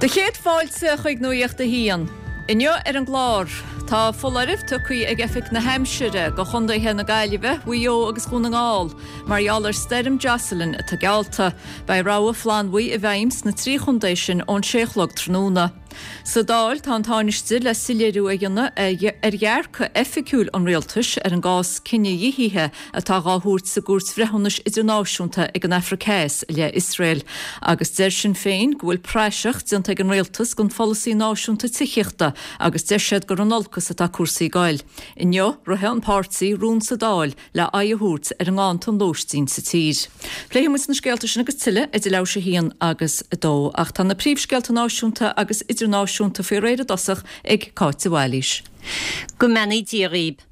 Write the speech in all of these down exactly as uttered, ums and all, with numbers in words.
Do chéad fáilte chuig Nuacht a hAon. Inniu ar an gclár, tá foláireamh tugtha ag Oifig na hAimsire go chontaetha na Gaillimhe, Mhaigh Eo agus Dhún na nGall, mar gheall ar stoirm Jocelyn atá geallta. Beidh rabhadh flannbhuí i bhfeidhm sna trí chontae sin ón sé a chlog tráthnóna. Sa Dáil tá an Tánaiste le soiléiriú a dhéanamh ar dhearcadh oifigiúil an rialtais ar an gcás cinedhíothaithe atá á thabhairt sa gCúirt Bhreithiúnais Idirnáisiúnta ag an Afraic Theas le Iosrael. Agus deir Sinn Féin go bhfuil praiseach déanta ag an rialtas den pholasaí náisiúnta tithíochta agus deir siad gur in olcas atá cúrsaí ag goil. Inniu ritheann an páirtí rún sa Dáil le aghaidh a thabhairt ar an nganntan lóistín sa tír. Pléifidh muid na scéalta sin agus tuilleadh idir leathuair théis a haon agus a dó, ach tá na príomhscéalta náisiúnta agus idirnáisiúnta faoi réir i dtosach ag Cáit de Bhailís. Go mbeannaí Dia dhaoibh.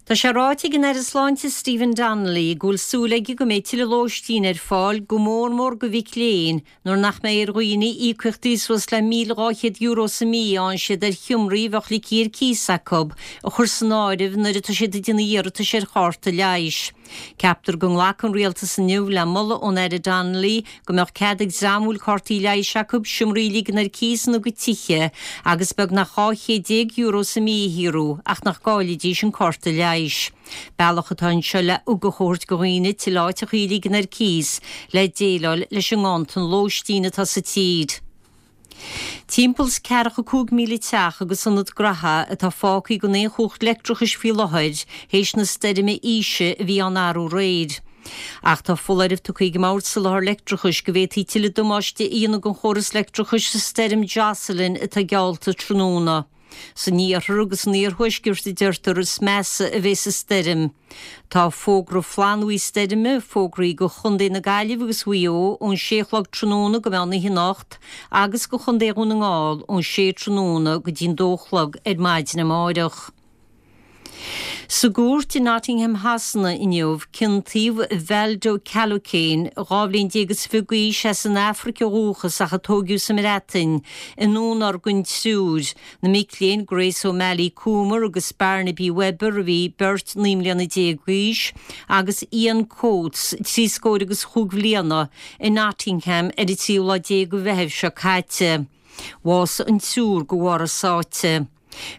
Tá sé ráite ag an Aire Sláinte Stephen Donnelly go bhfuil súil aige go mbeidh tuilleadh lóistín ar fáil go mór mór do mhic léinn nuair nach mbeidh ar dhaoine íocaíochtaí suas le míle dhá chéad euro sa mí a fhaigheann siad ar sheomraí a bheadh ligthe ar cíos acu a chur san áireamh nuair atá siad ag déanamh iarratais ar chárta leighis. Ceaptar go nglacfaidh an rialtas inniu le moladh ón Aire Donnelly go mbeadh cead ag dream a bhfuil cártaí leighis acu seomraí a ligean ar cíos ina gcuid tithe agus beagnach dhá chéad déag euro sa mí a shaothrú ach nach gcaillfidís an cárta leighis. Bealach atá anseo le ugach a thabhairt do dhaoine tuilleadh áiteacha a ligean ar cíos le déileáil leis an nganntan lóistín atá sa tír. Timpeall is ceathracha cúig míle teach agus ionad gnaithe atá fágtha gan aon chumhacht leictreachais faoi láthair théis na stoirme Isha a bhí ann arú aréir. Ach tá foláireamh tugtha ag an mBord Soláthair Leictreachais go bhféadfaí tuilleadh damáiste a dhéanamh don chóras leictreachais sa stoirm Jocelyn atá geallta tráthnóna. San iarthar agus san iarthuaisceart a deirtear is measa a bheas an stoirm. Tá fógra flannbhuí stoirme fógraithe go Chontae na Gaillimhe agus Mhaigh Eo ón sé a chlog tráthnóna go meán oíche anocht agus go Chontae Dhún na nGall ón sé tráthnóna go dtí'n dó a chlog ar maidin amárach. Sa gcúirt i Nottingham Shasana inniu ciontaíodh Valdo Calocane dhá bhliain déag is fiche d'aois as an Afraic ó dhúchas ach a tógadh sa mBreatain i ndúnorgain triúr, na mic léinn Grace O'Malley Coomer agus Barnaby Webber a bhí beirt naoi mbliana déag d'aois agus Ian Coates trí scór agus chúig bhliana i Nottingham ar an tríú lá déag de Mheitheamh seo caite. Bhásaigh an triúr de bharr a sáite.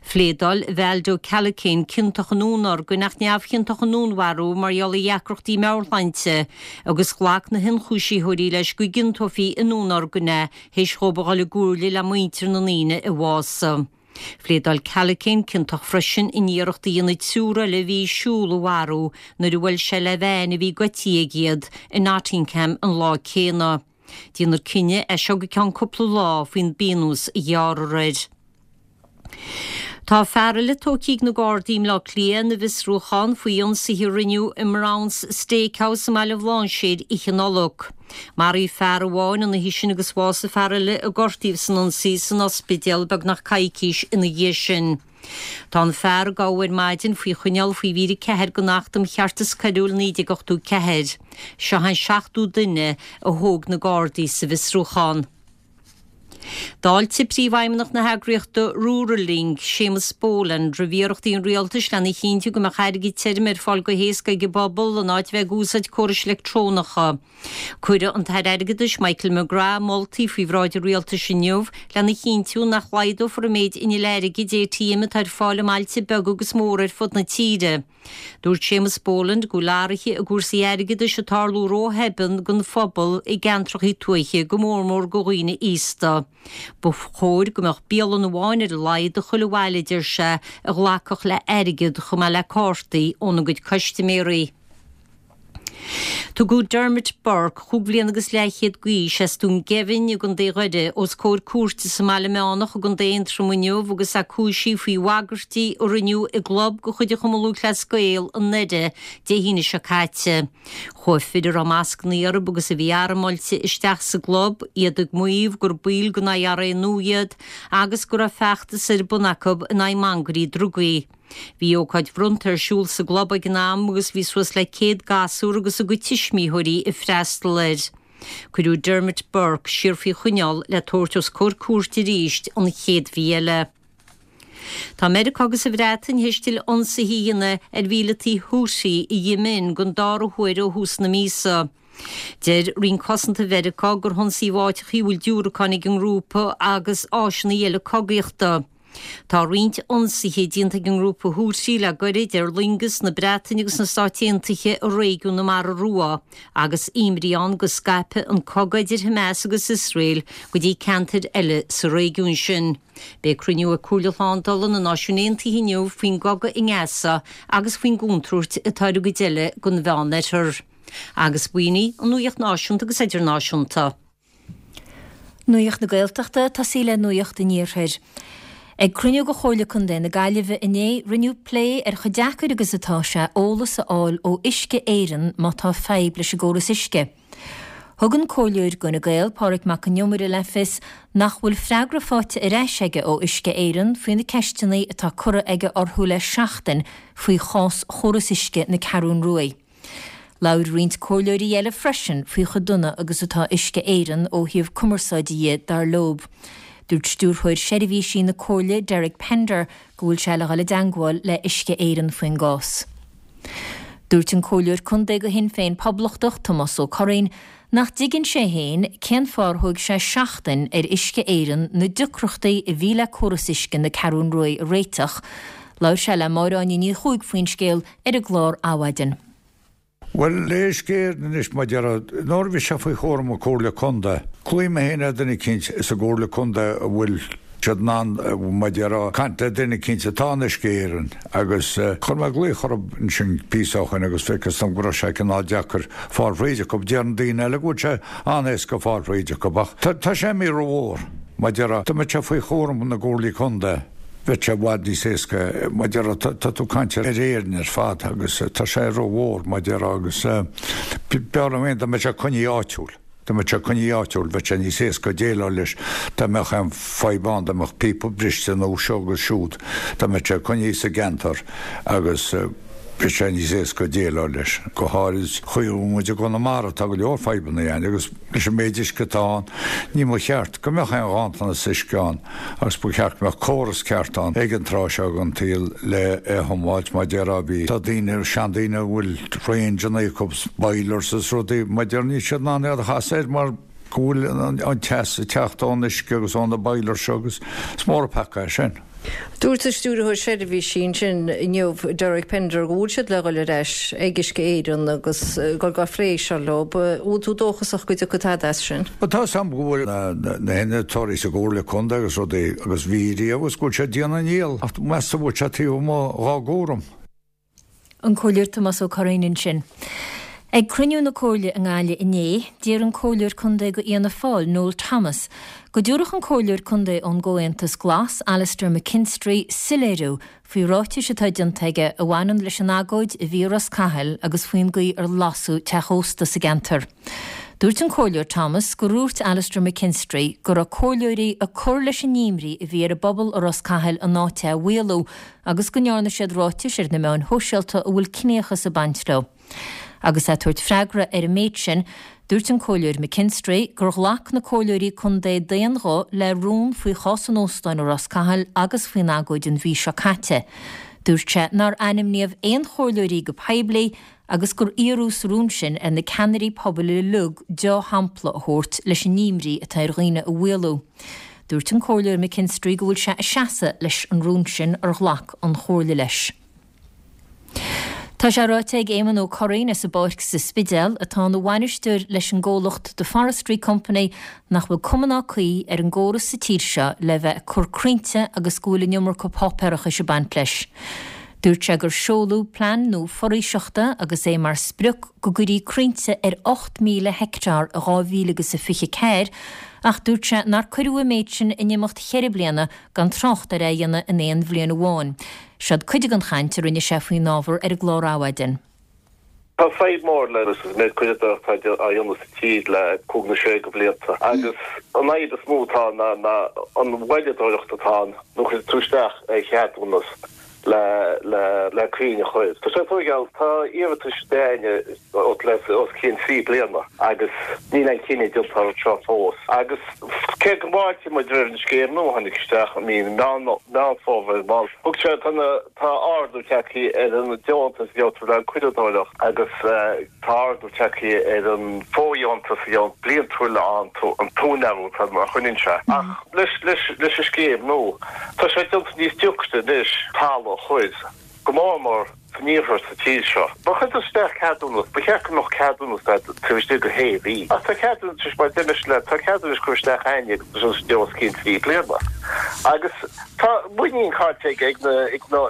Phléadáil Valdo Calocane ciontach i ndúnorgain ach neamhchiontach i ndúnmharú mar gheall ar dheacrachtaí meabhairshláinte agus ghlac na hionchúisitheoirí leis go gciontófaí i ndúnorgain é théis dhóibh a dhul i gcomhairle le muintir na ndaoine a bhásaigh. Phléadáil Calocane ciontach freisin in iarracht a dhéanamh triúr eile a bhí ag siúl a mharú nuair a bhuail sé le veain a bhí goidte aige iad i Nottingham an lá céanna. Déanfar cinneadh as seo go ceann cúpla lá faoin bpionós a ghearrfar air. Tá fear eile tógtha ag na Gardaí i mBleá Cliath ina bhfiosrúchán faoi ionsaithe a rinneadh i mBrown's Steakhouse i mBaile Bhlainséir oíche Nollag. Maraíodh fear amháin an oíche sin agus bhásaigh fear eile a gortaíodh san ionsaí san ospidéal beagnach coicís ina dhiaidh sin. Tá an fear a gabhadh ar maidin faoi choinneáil faoi mhír a ceathair den Acht um Cheartas Coiriúil naoi déag ochtó ceathair. Seo an seachtú duine a thóg na Gardaí sa bhfiosrúchán. D'fháiltigh Príomhfheidhmeannach na heagraíochta Rural Link, Séamus Boland, roimh iarrachtaí an rialtais lena chinntiú go mbeadh airgead tirim ar fáil go héasca ag an bpobal in áit bheith ag úsáid córais leictreonacha. Cuirfidh an tAire Airgeadais Michael McGrath moltaí faoi bhráid an rialtais inniu lena chinntiú nach laghdófar an méid innill airgid ATM atá ar fáil i mbailte beaga agus móra ar fud na tíre. Dúirt Séamus Boland go bhfuil athruithe i gcúrsaí airgeadais ag tarlú róthobann don phobal i gceantracha tuaithe, go mór mór do dhaoine aosta. Ba chóir go mbeadh bialann amháin ar a laghad i chuile bhaile, a deir sé, a ghlacfadh le airgead chomh maith le cártaí óna gcuid custaiméirí. Tugadh Dermot Burke, chúig bhliana agus leathchéad d'aois, as Dún Geimhin i gContae Dhoire, os comhair cúirte sa mBaile Meánach i gContae Aontroma inniu agus é cúisithe faoi bhagairtí a rinneadh i gclub de chuid an Chumann Lúthchleas Gael i nDoire Dé hAoine seo caite. Chuaigh fir a raibh mascanna orthu agus a bhí armáilte isteach sa gclub, iad ag maíomh gur baill den IRA nua iad agus go raibh feachtas ar bun acu in aghaidh mangairí drugaí. Bhí ócáid bhronnta ar siúl sa gclub ag an am agus bhí suas le céad gasúr agus a gcuid tuismitheoirí ag freastal air. Cuireadh Dermot Burke siar faoi choinneáil le tabhairt os comhair cúirte arís an chéad mhí eile. Tá Meiriceá agus an Bhreatain théis tuilleadh ionsaithe a dhéanamh ar mhíleataigh Houthi i Yemen den dara huair ó thús na míosa. Deir Roinn Cosanta Mheiriceá gur hionsaíodh áiteacha a bhfuil diúracáin ag an ngrúpa agus áiseanna eile cogaíochta. Tá roinnt ionsaithe déanta ag an ngrúpa Houthi le gairid ar loingeas na Breataine agus na Stáit Aontaithe i réigiún na Mara Rua, agus imní ann go scaipfidh an cogadh idir Hamas agus Iosrael go dtí ceantair eile sa réigiún sin. Beidh cruinniú ag Comhairle Shlándála na Náisiún Aontaithe inniu faoin gcogadh i nGaza agus faoin gcontúirt atá ar an gcuid eile den Mheánoirthear. Agus b'in í an nuacht náisiúnta agus idirnáisiúnta. Nuacht na Gaeltachta tosaí le nuacht an Iarthair. Ag cruinniú de Chomhairle Contae na Gaillimhe inné rinneadh plé ar chomh deacair agus atá sé eolas a fháil ó Uisce Éireann má tá fadhb leis an gcóras uisce. Thug an Comhairleoir d'Fhine Gael Pádraig Mac Con Iomaire le fios nach bhfuil freagra faighte ar ais aige ó Uisce Éireann faoi na ceisteanna atá curtha aige orthu le seachtain faoi chás chóras uisce na Ceathrún Rua. Labhair roinnt comhairleoirí eile freisin faoi chomh dona agus atá Uisce Éireann ó thaobh cumarsáide dhe dar leo. Dúirt stiúrthóir seirbhísí na Comhairle Derek Pender go bhfuil sé le dhul i dteagmháil le Uisce Éireann faoin gcás. Dúirt an Comhairleoir Contae do Shinn Féin Poblachtach Tomás Ó Curraoin nach dtuigeann sé féin cén fáth ar thóg sé seachtain ar Uisce Éireann na deacrachtaí a bhí le córas uisce na Ceathrún Rua a réiteach. Labhair sé le Máire Áine Ní Chuaig faoin scéal ar an gclár Adhmhaidin. Bhuel, le Uisce Éireann anois mar a déarfá, nuair a bhí sé faoi chúram na Comhairle Contae, ghlaoigh mé féin ar duine eicínt sa gComhairle Contae a bhfuil siad in ann, mar a déarfá, caint le duine eicínt atá in Uisce Éireann agus chuir mé glaoch orthu ansin píosa ó shoin agus feictear dom go raibh sé cineál deacair fáil fríd acu. Deireann daoine eile go bhfuil sé an-éasca fáil fríd acu ach tá sé imithe rómhór, mar a déarfá, dá mbeadh sé faoi chúram na gComhairlí Contae. Bheadh sé i bhfad níos éasca, mar a déarfá, tá tú ag caint ar Éirinn ar fad agus tá sé rómhór, mar a déarfá, agus b'fhearr liom féin dá mbeadh sé coinnithe áitiúil, dá mbeadh sé coinnithe áitiúil, bheadh sé níos éasca déileáil leis, dá mbeadh aon fadhb ann, dá mbeadh píopa briste nó seo agus siúd, dá mbeadh sé coinnithe sa gceantar agus bheadh sé níos éasca déileáil leis. Go háirid chaoi a bhfuil muid i gConamara, tá go leor fadhbanna ann agus leis an méid uisce atá ann, ní mba cheart go mbeadh aon ghanntanas uisce ann agus ba cheart go mbeadh córas ceart ann ag an tráth seo den tsaol le é a thiomáint mar a déarfá. Bhí, tá daoine, seandaoine a bhfuil range-anna acu, boilers is rudaí, mar a déarfá, níl siad in ann iad a chasadh air mar go bhfuil an teas ag teacht ón uisce agus ó na boilers seo agus is mór an peaca é sin. Dúirt an Stiúrthóir Seirbhísí ansin inniu, Derek Pender, go bhfuil siad le dhul ar ais ag Uisce Éireann agus gur gá phlé seo leo. Bhfuil tú dóchasach go dtiocfaidh tada as sin? Bhuel, tá 'fhios a'm go bhfuil na hInnealtóirí sa gComhairle Contae agus rudaí agus bhí riamh agus go bhfuil siad ag déanamh a ndícheall ach meas tú an bhfuil sé taobh amuigh dhá gcúram. An Comhairleoir Tomás Ó Curraoin ansin. Ag cruinniú na Comhairle i nGaillimh inné, d'iarr an Comhairleoir Contae do Fhianna Fáil, Noel Thomas, go dtabharfadh an Comhairleoir Contae ón gComhaontas Glas, Alastair McKinstry, soiléiriú faoi ráitis atá déanta aige a bhaineann leis an agóid a bhí i Ros Cathail agus faoin gcaoi ar lasadh teach ósta sa gceantar. Dúirt an Comhairleoir Thomas gur dhúirt Alastair McKinstry go raibh comhairleoirí ag cur leis an imní a bhí ar an bpobal i Ros Cathail an áit a mhaolú agus go ndearna siad ráitis ar na meáin shóisialta a bhfuil ciníochas ag baint leo. Agus é ag tabhairt freagra ar an méid sin, dúirt an Comhairleoir McKinstry gur ghlac na comhairleoirí contae d'aon ghuth le rún faoi chás an óstáin i Ros Cathail agus faoin agóid an mhí seo caite. Dúirt sé nár ainmníodh aon chomhairleoirí go poiblí agus gur iarradh sa rún sin ar na ceannairí pobail uilig dea-shampla a thabhairt leis an imní atá ar dhaoine a mhaolú. Dúirt an Comhairleoir McKinstry go bhfuil sé ag seasamh leis an rún sin ar ghlac an Chomhairle leis. Tá sé ráite ag Éamon Ó Curraoin as an bPáirc sa Spidéal, atá ina bhainisteoir leis an gcomhlacht The Forestry Company, nach bhfuil cuma ná caoi ar an gcóras sa tír seo le bheith ag cur crainnte agus go bhfuil an iomarca páipéarachais ag baint leis. Dúirt sé gur seoladh plean nua foraoiseachta agus é mar sprioc go gcuirfí crainnte ar ocht míle heicteár i dhá mhíle agus a fiche ceathair ach dúirt sé nár cuireadh an méid sin in imeacht cheithre bliana gan trácht ar é a dhéanamh in aon bhliain amháin. Seod cuid den chaint a rinne sé faoin ábhar ar an gclár Adhmhaidin. Tá fadhb mór le an méid caoradóireachta atá á dhéanamh sa tír le cúig nó sé de bhlianta agus an fhadhb is mó atá ann ná an mhoilleadóireacht atá ann nuair a chuireann tú isteach ar cheadúnas le le le crainn a chur. Tá sé tóigeáil, tá iarratais againne le os cionn trí bliana agus níl aon chinneadh déanta air seo fós. Agus Cé go bhfáiltíonn muid roimh an scéim nua a tháinig isteach i mí Meán Fómhair, mar thug sé tá na tá ardú tagtha ar an deontas a gheobhtar le caoradóireacht agus tá ardú tagtha ar an fóirdheontas a gheobhann bliantúil an an t-úinéir atá mar a choinníonn sé. Ach leis leis leis an scéim nua tá sé déanta níos deacra anois talamh a chur, go mór mór san iarthar sa tír seo. Má chuir tú isteach ceadúnas, ba cheart go mbeadh ceadúnas agat taobh istigh de shé mhí. Ach tá ceadúnas, mar a deir mise leat, tá ceadúnas curtha isteach againne agus tá sé os cionn trí bliana. Agus tá muinín caillte ag na ag na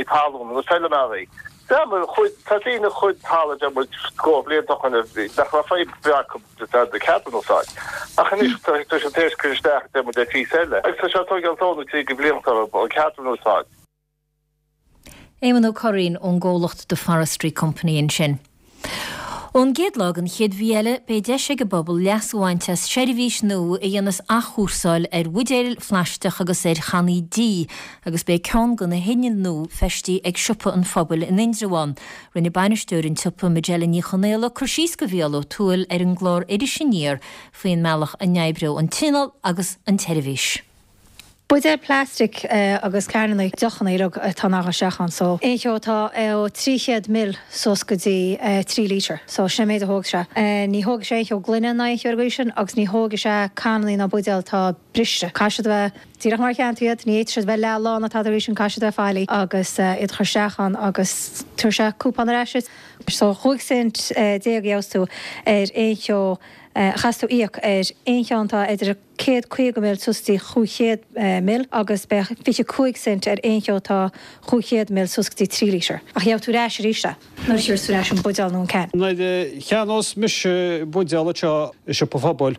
talún, na feilméaraí. Tá daoine a chuir talamh deir muid scór blianta ó shin nach raibh fadhb acu le ceadúnas a fháil. Ach anois tá sé tar éis cur isteach deir muid ar phíosa eile. Agus tá sé ag tógáil dó nó trí go blianta an ceadúnas a fháil. Éamonn Ó Curraoin ón gcomhlacht The Forestry Company ansin. Ón gcéad lá den chéad mhí eile, beidh deis ag an bpobal leas a bhaint as seirbhís nua a dhéanas athchúrsáil ar bhuidéil phlaisteach agus ar channaí dí agus beidh ceann de na hinnill nua feistithe ag Siopa an Phobail in Indreabhán. Rinne bainisteoir an tsiopa, Majella Ní Chonaola, cur síos do Mhícheál Ó Tuathail ar an gclár Iris Aniar faoin mbealach a n-oibreoidh an t-inneall agus an tseirbhís. Buidéil plastic agus cananna deochanna uilig atá in ann a dhul isteach ann so aon cheo atá ó trí chéad mil suas go dtí trí lítear so sin an méid a thógfaidh sé. Ní thógfaidh sé aon cheo gloine ná aon cheo ar an gcaoi sin agus ní thógfaidh sé cananna ná buidéil atá briste. Caithfidh siad a bheith díreach mar a cheannaigh tú iad, ní fhéadfaidh siad a bheith leath lán ná tada ar an gcaoi sin, caithfidh siad a bheith faillí agus iad a chur isteach ann agus tabharfaidh sé cúpón ar ais duit. So chúig cent déag a gheobhas tú ar aon cheo a chaithfeas tú íoc ar aon cheann atá idir céad caoga mil suas go dtí chúig chéad mil agus beidh fiche cúig cent ar aon cheo atá chúig chéad mil suas go dtí trí lítear. Ach gheobhaidh tú ar ais arís é nuair a thiúrfas tú ar ais an buidéal nó an can. Nuair a cheannós mise buidéal anseo i Siopa an Phobail,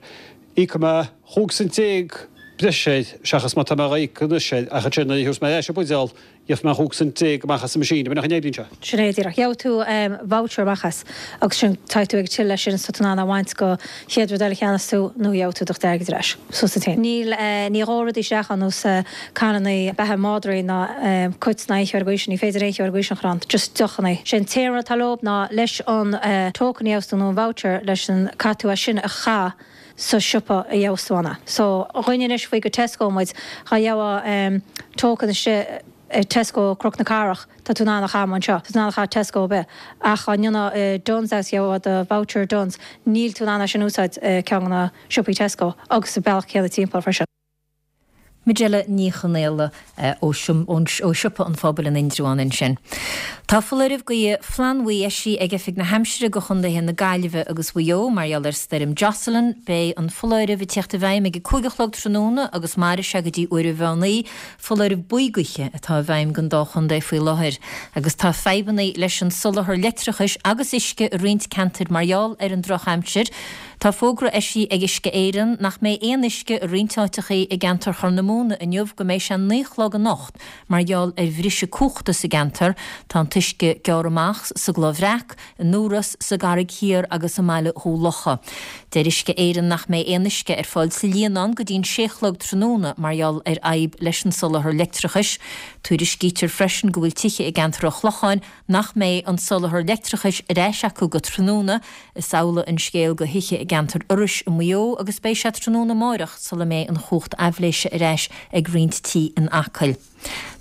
íocfaidh mé chúig cent déag breise air seachas mar atá mé á íoc anois air ach ansin nuair a thiúrfas mé ar ais an buidéal, Gheobhaidh mé chúig cent déag amach as an machine, an oibríonn sé. Sin é díreach. Gheobhaidh tú voucher amach as agus sin tá tú ag till leis sin so tá tú in ann é a bhaint go chéad rud eile a cheannas tú nó gheobhaidh tú do chuid airgid ar ais. Suas duit féin. Níl, ní dhófaidh rudaí isteach ann nós canannaí beatha madraí ná cait ná aon cheo ar an gcaoi sin. Ní féidir aon cheo ar an gcaoi sin a chur ann. Just deochannaí. Sé an t-aon rud atá leob ná leis an token a gheobhas tú nó an voucher leis an caithfidh tú é sin a chaith sa siopa a gheobhas tú ann é. So dhuine anois faoi go Tesco muid, dhá gheobhadh token istigh i Tesco Cnoc na Cathrach, tá tú in ann a chaitheamh anseo, tá tú in ann a chaitheamh Tesco ar bith, ach dá ndéanfá i Dunnes agus gheobhadh do voucher Dunnes, níl tú in ann é sin a úsáid i ceann de na siopaí Tesco agus sa bealach céanna timpeall freisin. Majella Ní Chonaola ó Siopa an Phobail in Indreabhán ansin. Tá foláireamh gaoithe flannbhuí eisithe ag Oifig na hAimsire do chontaetha na Gaillimhe agus Mhaigh Eo mar gheall ar stoirm Jocelyn. Beidh an foláireamh ag teacht i bhfeidhm ag a cúig a chlog tráthnóna agus mairfidh sé go dtí uair an mheán oíche. Foláireamh buí gaoithe atá i bhfeidhm don dá chontae faoi láthair agus tá fadhbanna leis an soláthar leictreachais agus uisce i roinnt ceantair mar gheall ar an drochaimsir. Tá fógra eisithe ag Uisce Éireann nach mbeidh aon uisce i roinnt áiteachaí i gceantar Chorr na Móna inniu go mbeidh sé naoi a chlog anocht mar gheall ar bhriseadh cumhachta sa gceantar. Tá an t-uisce gearrtha amach sa gCloich Bhreac, in Iorras, sa gCarraig Thiar agus i mBaile Dhún Locha. Deir Uisce Éireann nach mbeidh aon uisce ar fáil sa Líonán go dtí'n sé a chlog tráthnóna mar gheall ar fhadhb leis an soláthar leictreachais. Tuairiscítear freisin go bhfuil tithe i gceantar an Chlocháin nach mbeidh an soláthar leictreachais ar ais acu go tráthnóna. Is amhlaidh an scéal do thithe i gceantar Iorrais i Maigh Eo agus beidh sé tráthnóna amáireach sula mbeidh an chumhacht aibhléise ar ais ag roinnt tí in Acaill.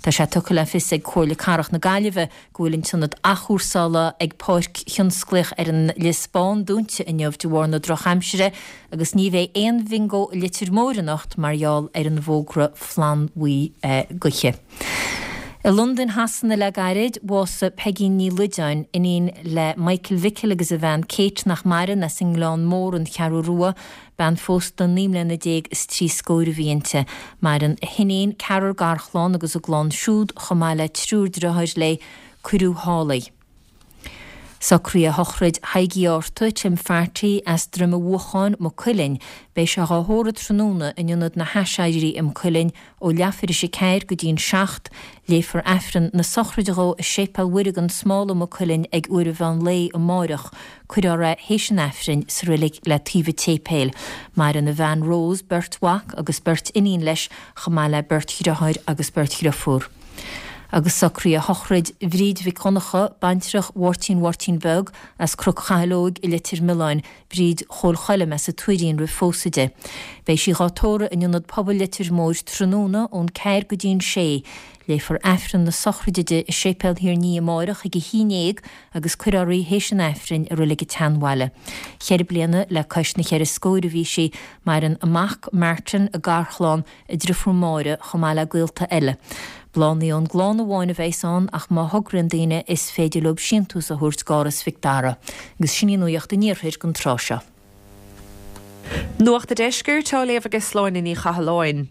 Tá sé tugtha le fios ag Comhairle Cathrach na Gaillimhe go bhfuil an t-ionad athchúrsála ag Páirc Thionsclaíoch ar an Lios Bán dúnta inniu de bharr na drochaimsire agus ní bheidh aon bhingo i Leitir Móir anocht mar gheall ar an bhfógra flannbhuí gaoithe. I Londain Shasana le gairid, bhásaigh Peigín Ní Loideáin, iníon le Michael Mhicil agus a bhean Kate nach maireann, as an nGleann Mór, An Cheathrú Rua. Bean phósta naoi mbliana déag is trí scór a bhí inti. Maireann a hiníon, ceathrar garchlann agus a gclann siúd, chomh maith le triúr deartháir léi. Cuireadh thall í. Socraíodh sochraid Thaidhg Uí Árta, Tim Pharty, as Droim a' Bhuacháin, Maigh Cuilinn. Beidh sé dhá thórramh tráthnóna in Ionad na hAiséirí i Maigh Cuilinn ó leathuair théis a ceathair go dtí'n seacht. Léifear Aifreann na sochraide dhó i Séipéal Mhuire gan Smál i Maigh Cuilinn ag uair an mheán lae amáireach. Cuirfear é théis an Aifrinn sa reilig le taobh an tséipéil. Maireann a bhean Rose, beirt mhac agus beirt iníon leis, chomh maith le beirt dhriotháir agus beirt dhriofúr. Agus socraíodh sochraid Bhríd Mhic Dhonncha, baintreach Mháirtín Mháirtín Bheag as Cnoc Chathail Óig i Leitir Mealláin, Bríd Chóil Choilm as an Tuairín roimh phósadh di. Beidh sí dhá tórramh in Ionad Pobail Leitir Móir tráthnóna ón ceathair go dtí'n sé. Léifear Aifreann na sochraide di i Séipéal Thír an Fhia amáireach ag a haon dhéag agus cuirfear í théis an Aifrinn i Reilig an tSeanbhaile. Cheithre bliana le cois na cheithre scóir a bhí sí. Maireann a mac, Martin, a garchlann, a driofúr Máire, chomh maith le gaolta eile. Bláthanna ón gclann amháin a bheas ann ach má thograíonn daoine is féidir leo síntiús a thabhairt d'Áras Mhic Dara. Agus sin í nuacht an Iarthair don tráth seo. Nuacht an Deiscirt á léamh ag Sláine Ní Chathalláin.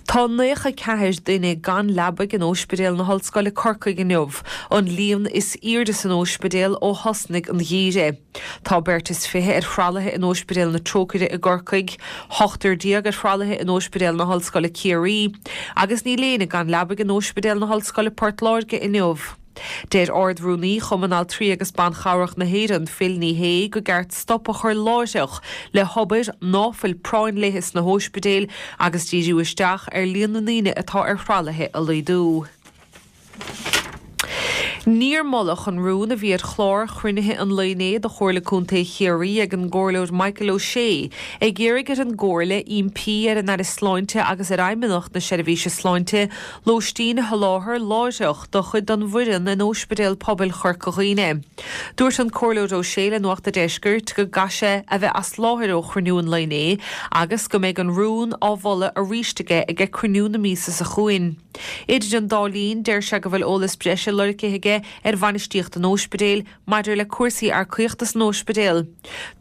Tá naocha ceathair duine gan leabaidh in Óispidéal na hOllscoile Corcaigh inniu, an líon is airde san óispidéal ó thosnaigh an geimhreadh. Tá beirt is fiche ar thralaithe in Óispidéal na Trócaire i gCorcaigh, ochtar déag ar thralaithe in Óispidéal na hOllscoile Ciarraí, agus níl éinne gan leabaidh in Óispidéal na hOllscoile Port Láirge inniu. Deir Ard-Rúnaí Chumann Altraí agus Ban Chabhrach na hÉireann, Phil Ní Sheaghdha, go gceart stop a chur láithreach le hobair ná fuil práinn léi sna hóispidéil agus díriú isteach ar líon na ndaoine atá ar thralaithe a laghdú. Níor moladh an rún a bhí ar chlár chruinnithe an lae inné de Chomhairle Contae Chiarraí ag an gComhairleoir Michael O'Shea ag iarraidh ar an gComhairle impí ar an Aire Sláinte agus ar Fheidhmeannacht na Seirbhíse Sláinte lóistín a sholáthar láithreach do chuid den bhfoireann in Óispidéal Pobail Chorca Dhuibhne. Dúirt an Comhairleoir O'Shea le Nuacht a' Deiscirt go gcaithfidh sé a bheith as láthair ó chruinniú an lae inné agus go mbeidh an rún á mholadh arís aige ag cruinniú na míosa seo chugainn. Idir an dá linn, deir sé go bhfuil eolas breise lorgtha aige ar bhainistíocht an óispidéil maidir le cúrsaí earcaíochta san óispidéal.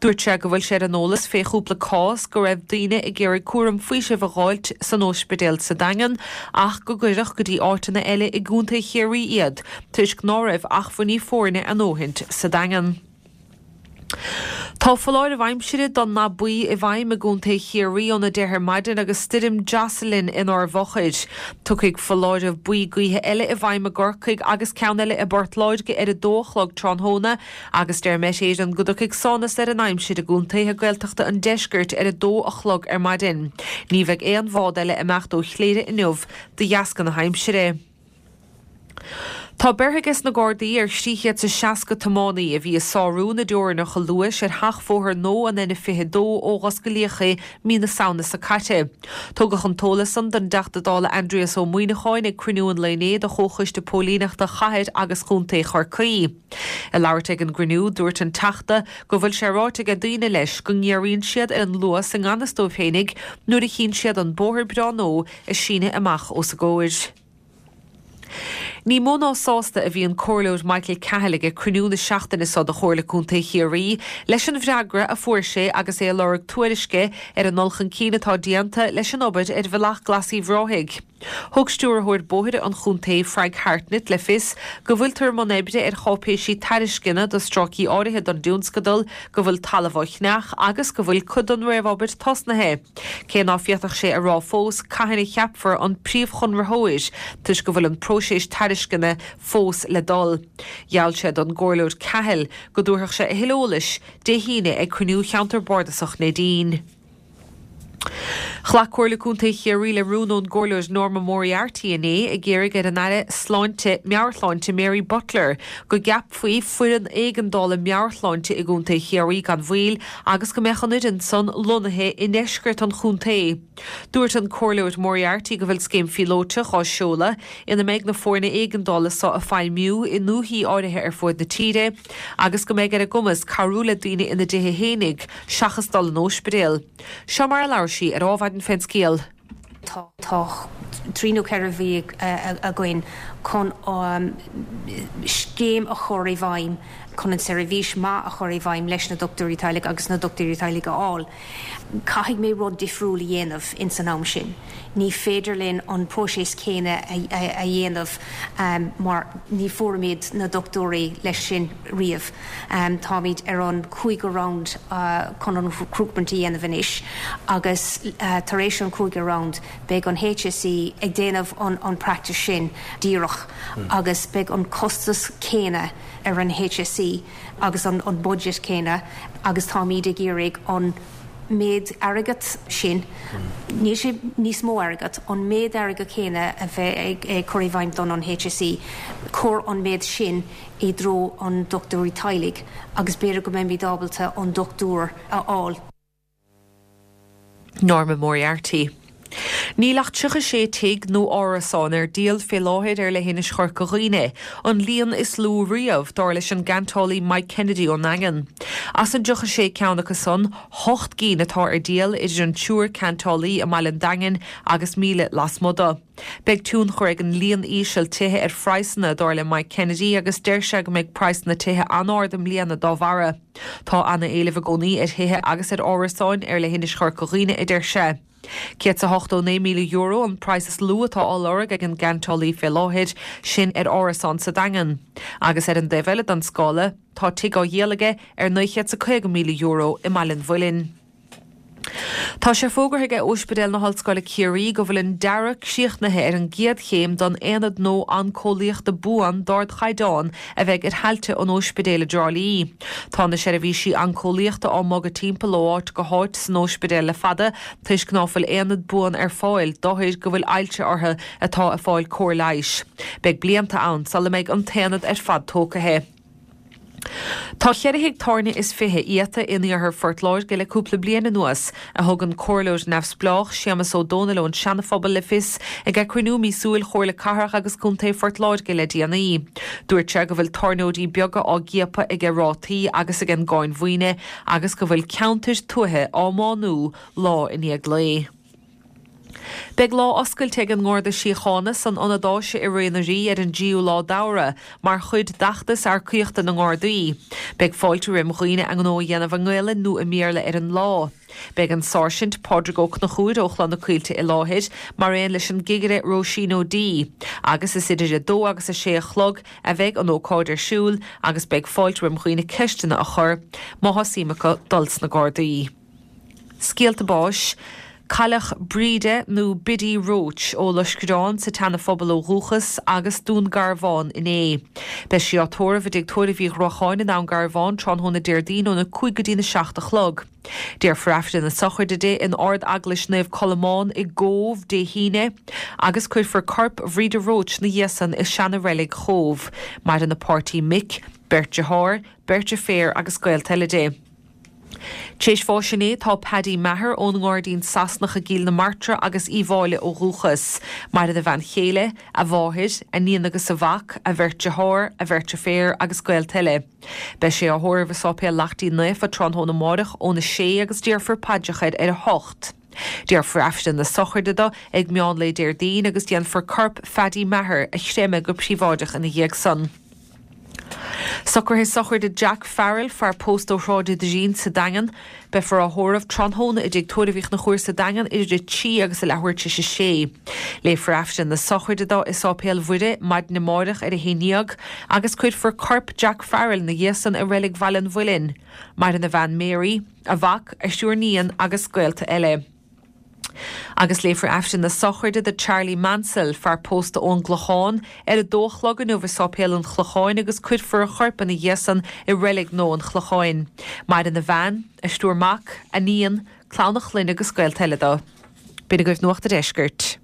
Dúirt sé go bhfuil sé ar an eolas fé chúpla cás go raibh daoine ag iarraidh cúram faoisimh a dh'fháilt san óispidéal sa Daingean ach go gcuireadh go dtí áiteanna eile i gContae Chiarraí iad toisc ná raibh achmhainní foirne a ndóthaint sa Daingean. Tá foláireamh aimsire don ndath buí i bhfeidhm i gContae Chiarraí óna deich ar maidin agus stoirm Jocelyn inár bhfochair. Tiocfaidh foláireamh buí gaoithe eile i bhfeidhm i gCorcaigh agus ceann eile i bPort Láirge ar a dó a chlog tráthnóna agus deir Met Éireann go dtiocfaidh sánas ar an aimsir i gcontaetha Gaeltachta an deiscirt ar a dó a chlog ar maidin. Ní bheidh aon bhád eile ag imeacht ó Chléire inniu de dheasca na haimsire. Tá beirthe aige na Gardaí ar thrí chéad is seasca tiománaí a bhí ag sárú na dteorainneacha luais ar sheachbhóthar nua an N fiche dó ó dh'osclaíodh é mí na Samhna seo caite. Tugadh an t-eolas san don dTeachta Dála Aindrias Ó Muimhneacháin ag cruinniú an lae inné de Chomhchoiste Póilíneachta Chathair agus Chontae Chorcaí. Ag labhairt ag an gcruinniú, dúirt an Teachta go bhfuil sé ráite aige daoine leis go ngéaraíonn siad ar an luas i ngan fhios dóibh féinig nuair a chíonn siad an bóthar breá nua ag síneadh amach os a gcomhair. Ní mó ná sásta a bhí an Comhairleoir Michael Cahill ag cruinniú na seachtaine seo de Chomhairle Contae Chiarraí leis an bhfreagra a fuair sé agus é ag lorg tuairisce ar an ndul chun cinn atá déanta leis an obair ar Bhealach Glas Uíbh Ráthaigh. Thug Stiúrthóir Bóithre an chontae, Frank Hartnett, le fios go bhfuiltear i mbun oibre ar cháipéisí tairisceana do stráicí áirithe don dtionscadal, go bhfuil talamh á cheannach agus go bhfuil cuid den réamhobair tosnaithe. Cé ná féadfadh sé a rá fós cathain a cheapfar an príomhchonraitheoir toisc go bhfuil an próiseas tairisceana fós le dul. Gheall sé don gComhairleoir Cahill go dtabharfadh sé a thuilleadh eolais Dé hAoine ag cruinniú Cheantar Bardasach Neidín. Ghlac Comhairle Contae Chiarraí le rún ón gComhairleoir Norma Moriarty inné ag iarraidh ar an Aire Sláinte, Meabhairshláinte Mary Butler go gceapfaí foireann éigeandála meabhairshláinte i gContae Chiarraí gan mhoill agus go mbeadh an fhoireann san lonnaithe i ndeisceart an chontae. Dúirt an Comhairleoir Moriarty go bhfuil scéim phíolótach á seoladh ina mbeidh na foirne éigeandála so ag feidhmiú i ndúichí áirithe ar fuaid na tíre agus go mbeidh ar a gcumas cabhrú le daoine ina dtithe fhéinig seachas dul in óispidéal. Seo mar a labhair sí ar Adhmhaidin fén scéal. Tá trí nó ceithre mhí againn chun scéim a chur i bhfeidhm chun an seirbhís maith a chur i bhfeidhm leis na dochtúirí teaghlaigh agus na dochtúirí teaghlaigh a fháil. Caithfidh mé rud difriúil a dhéanamh ins an am sin. Ní féidir linn an próiseas céanna a dhéanamh mar ní fuairimid na dochtúirí leis sin riamh. Táimid ar an cúigiú round chun an recruitment a dhéanamh anois agus tar éis an cúigiú round beidh an HSE ag déanamh an practice sin díreach agus beidh an costas céanna ar an HSE agus an budget céanna agus táimid ag iarraidh an méid airgead sin, níl sé níos mó airgead, an méid airgead céanna a bheith ag cur i bhfeidhm don an HSE, cuir an méid sin i dtreo an dochtúirí teaghlaigh agus b'fhéidir go mbeimid ábalta an dochtúir a fháil. Norma Moriarty. Níl ach tríocha sé tigh nó árasán ar díol fé láthair ar leithinis Chorca Dhuibhne, an líon is lú riamh, dar leis an gceantálaí Mike Kennedy ón nDaingean. As an dtríocha sé ceann acu san, hocht gcinn atá ar díol idir an triúr ceantálaí i mbaile an Daingin agus míle lasmuigh de. Beidh tionchar ag an líon íseal tithe ar phraghsanna, dar le Mike Kennedy, agus deir sé go mbeidh praghsanna tithe an-ard i mbliana dá bharra. Tá ana-éileamh i gcónaí ar thithe agus ar árasáin ar leithinis Chorca Dhuibhne, a deir sé. Céad 's a hochtó naoi míle euro an praghas is lú atá á lorg ag an gceantálaí fé láthair, sin ar árasán sa Daingean. Agus ar an dtaobh eile den scála, tá tigh á dhíol aige ar naoi chéad 's a caoga míle euro i mBaile an Mhuilinn. Tá sé fógartha ag Ospidéal na hOllscoile Ciarraí go bhfuil an dearadh críochnaithe ar an gcéad chéim don aonad nua oncólaíochta buan d'ardchaighdeán a bheidh ar thailte an ospidéil i dTrá Lí. Tá na seirbhísí oncólaíochta á mbogadh timpeall ó áit go háit san ospidéal le fada toisc ná fuil aonad buan ar fáil d'othair go bhfuil ailse orthu atá ag fáil cóir leighis. Beidh blianta ann sula mbeidh an t-aonad ar fad tógtha. Tá ceithre thigh tábhairne is fiche iata in iarthar Phort Láirge le cúpla bliain anuas, a thug an Comhairleoir Neamhspleách Séamus Ó Dónaill ón Seanaphobal le fios ag cruinniú míosúil Chomhairle Cathrach agus Contae Phort Láirge le déanaí. Dúirt sé go bhfuil tábhairneoirí beaga á gciapadh ag rátaí agus ag an gcáin mhaoine agus go bhfuil ceantair tuaithe á mbánú lá i ndiaidh lae. Beidh lá oscailte ag an nGarda Síochána san Ionad Áise i Ré na Rí ar an dtríú lá d'Fheabhra mar chuid d'fheachtas earcaíochta na nGardaí. Beidh fáilte roimh dhaoine a ngnó a dhéanamh i nGaelainn nó i mBéarla ar an lá. Beidh an Sáirsint Pádraig Ó Conchúir ó Chloich na Coillte i láthair, mar aon leis an gCigire Róisín O'Dea, agus is idir a dó agus a sé a chlog a bheidh an ócáid ar siúl agus beidh fáilte roimh dhaoine ceisteanna a chur má tá suim acu dul sna Gardaí. Scéalta báis, Cailleadh Bríde nó Biddy Roche ó Loiscreán sa tSeana-Phobal ó dhúchas agus Dún Garbhán inné. Beidh sí á tórramh i dTigh Tórraimh Uí Ghruacháin i nDún Garbhán tráthnóna Déardaoin óna cúig go dtína seacht a chlog. Déarfar Aifreann na sochraide di in Ard-Eaglais Naomh Colmán i gCóbh Dé hAoine agus cuirfear corp Bhríde Roche 'na dhiaidh san i seana-reilig Chóbh. Maireann a páirtí Mick, beirt dearthár, beirt deirféar agus gaolta eile di. Tar éis bháis inné tá Paddy Maher ón nGairdín Sasanach i gCill na Martra agus Uíbh Fhailí ó dhúchas. Maireann a bhean chéile, a mháthair, a níon agus a mhac, a bheirt dearthár, a bheirt deirféar agus gaolta eile. Beidh sé á thórramh i Sáipéal Lachtaín Naofa tráthnóna amárach óna sé agus déarfar paidreacha air ar a hocht. Déarfar Aifreann na sochraide dó ag meán lae Déardaoin agus déanfar corp Phaddy Maher a chreimeadh go príobháideach ina dhiaidh san. Socruithe sochraide Jack Farrell, fear pósta ó Shráid an Doirín sa Daingean. Beifear á thórramh tráthnóna i dTigh Tórraimh Uí Chonchúir sa Daingean idir a trí agus a leathuair tar éis a sé. Léifear Aifreann na sochraide dó i Sáipéal Mhuire maidin amárach ar a haon déag agus cuirfear corp Jack Farrell 'na dhiaidh san i Reilig Bhaile an Mhuilinn. Maireann a bhean Mary, a mhac, a thriúr níon agus gaolta eile. Agus léifear Aifreann na sochraide do Charlie Mansell, fear pósta ón gClochán, ar a dó a chlog inniu i Sáipéal an Chlocháin agus cuirfear a chorp ina dhiaidh san i Reilig Nua an Chlocháin. Maireann a bhean, a thriúr mac, a níon, clann a chlainne agus gaolta eile dó. B'in agaibh Nuacht an Deiscirt.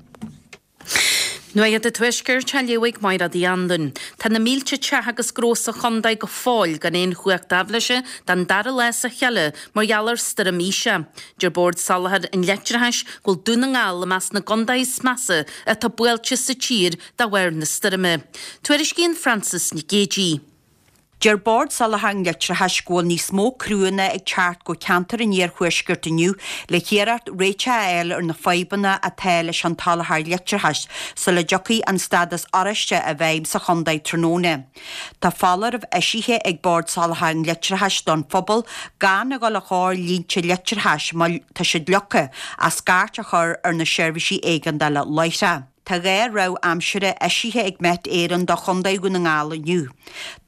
Nuacht an Tuaiscirt á léamh ag Máire Uí Anluain. Tá na mílte teach agus gnó sa chontae go fóill gan aon chumhacht aibhléise don dara lá as a chéile mar gheall ar stoirm Isha. Deir Bord Soláthair an Leictreachais go bhfuil Dún na nGall i measc na gcontaetha is measa atá buailte sa tír de bharr na stoirme. Tuairiscíonn Frances Nic Géadaigh. Deir Bord Soláthair an Leictreachais go bhfuil níos mó criúnna ag teacht go ceantar an iarthuaiscirt inniu le hiarracht réiteach a fháil ar na fadhbanna atá leis an tsoláthar leictreachais sula dtiocfaidh an stádas oráiste i bhfeidhm sa chontae tráthnóna. Tá foláireamh eisithe ag Bord Soláthair an Leictreachais don phobal gan a dhul a chóir línte leictreachais má tá siad leagtha ach scairt a chur ar na seirbhísí éigeandála láithreach. Tá dhá rabhadh aimsire eisithe ag Met Éireann do Chontae Dhún na nGall inniu.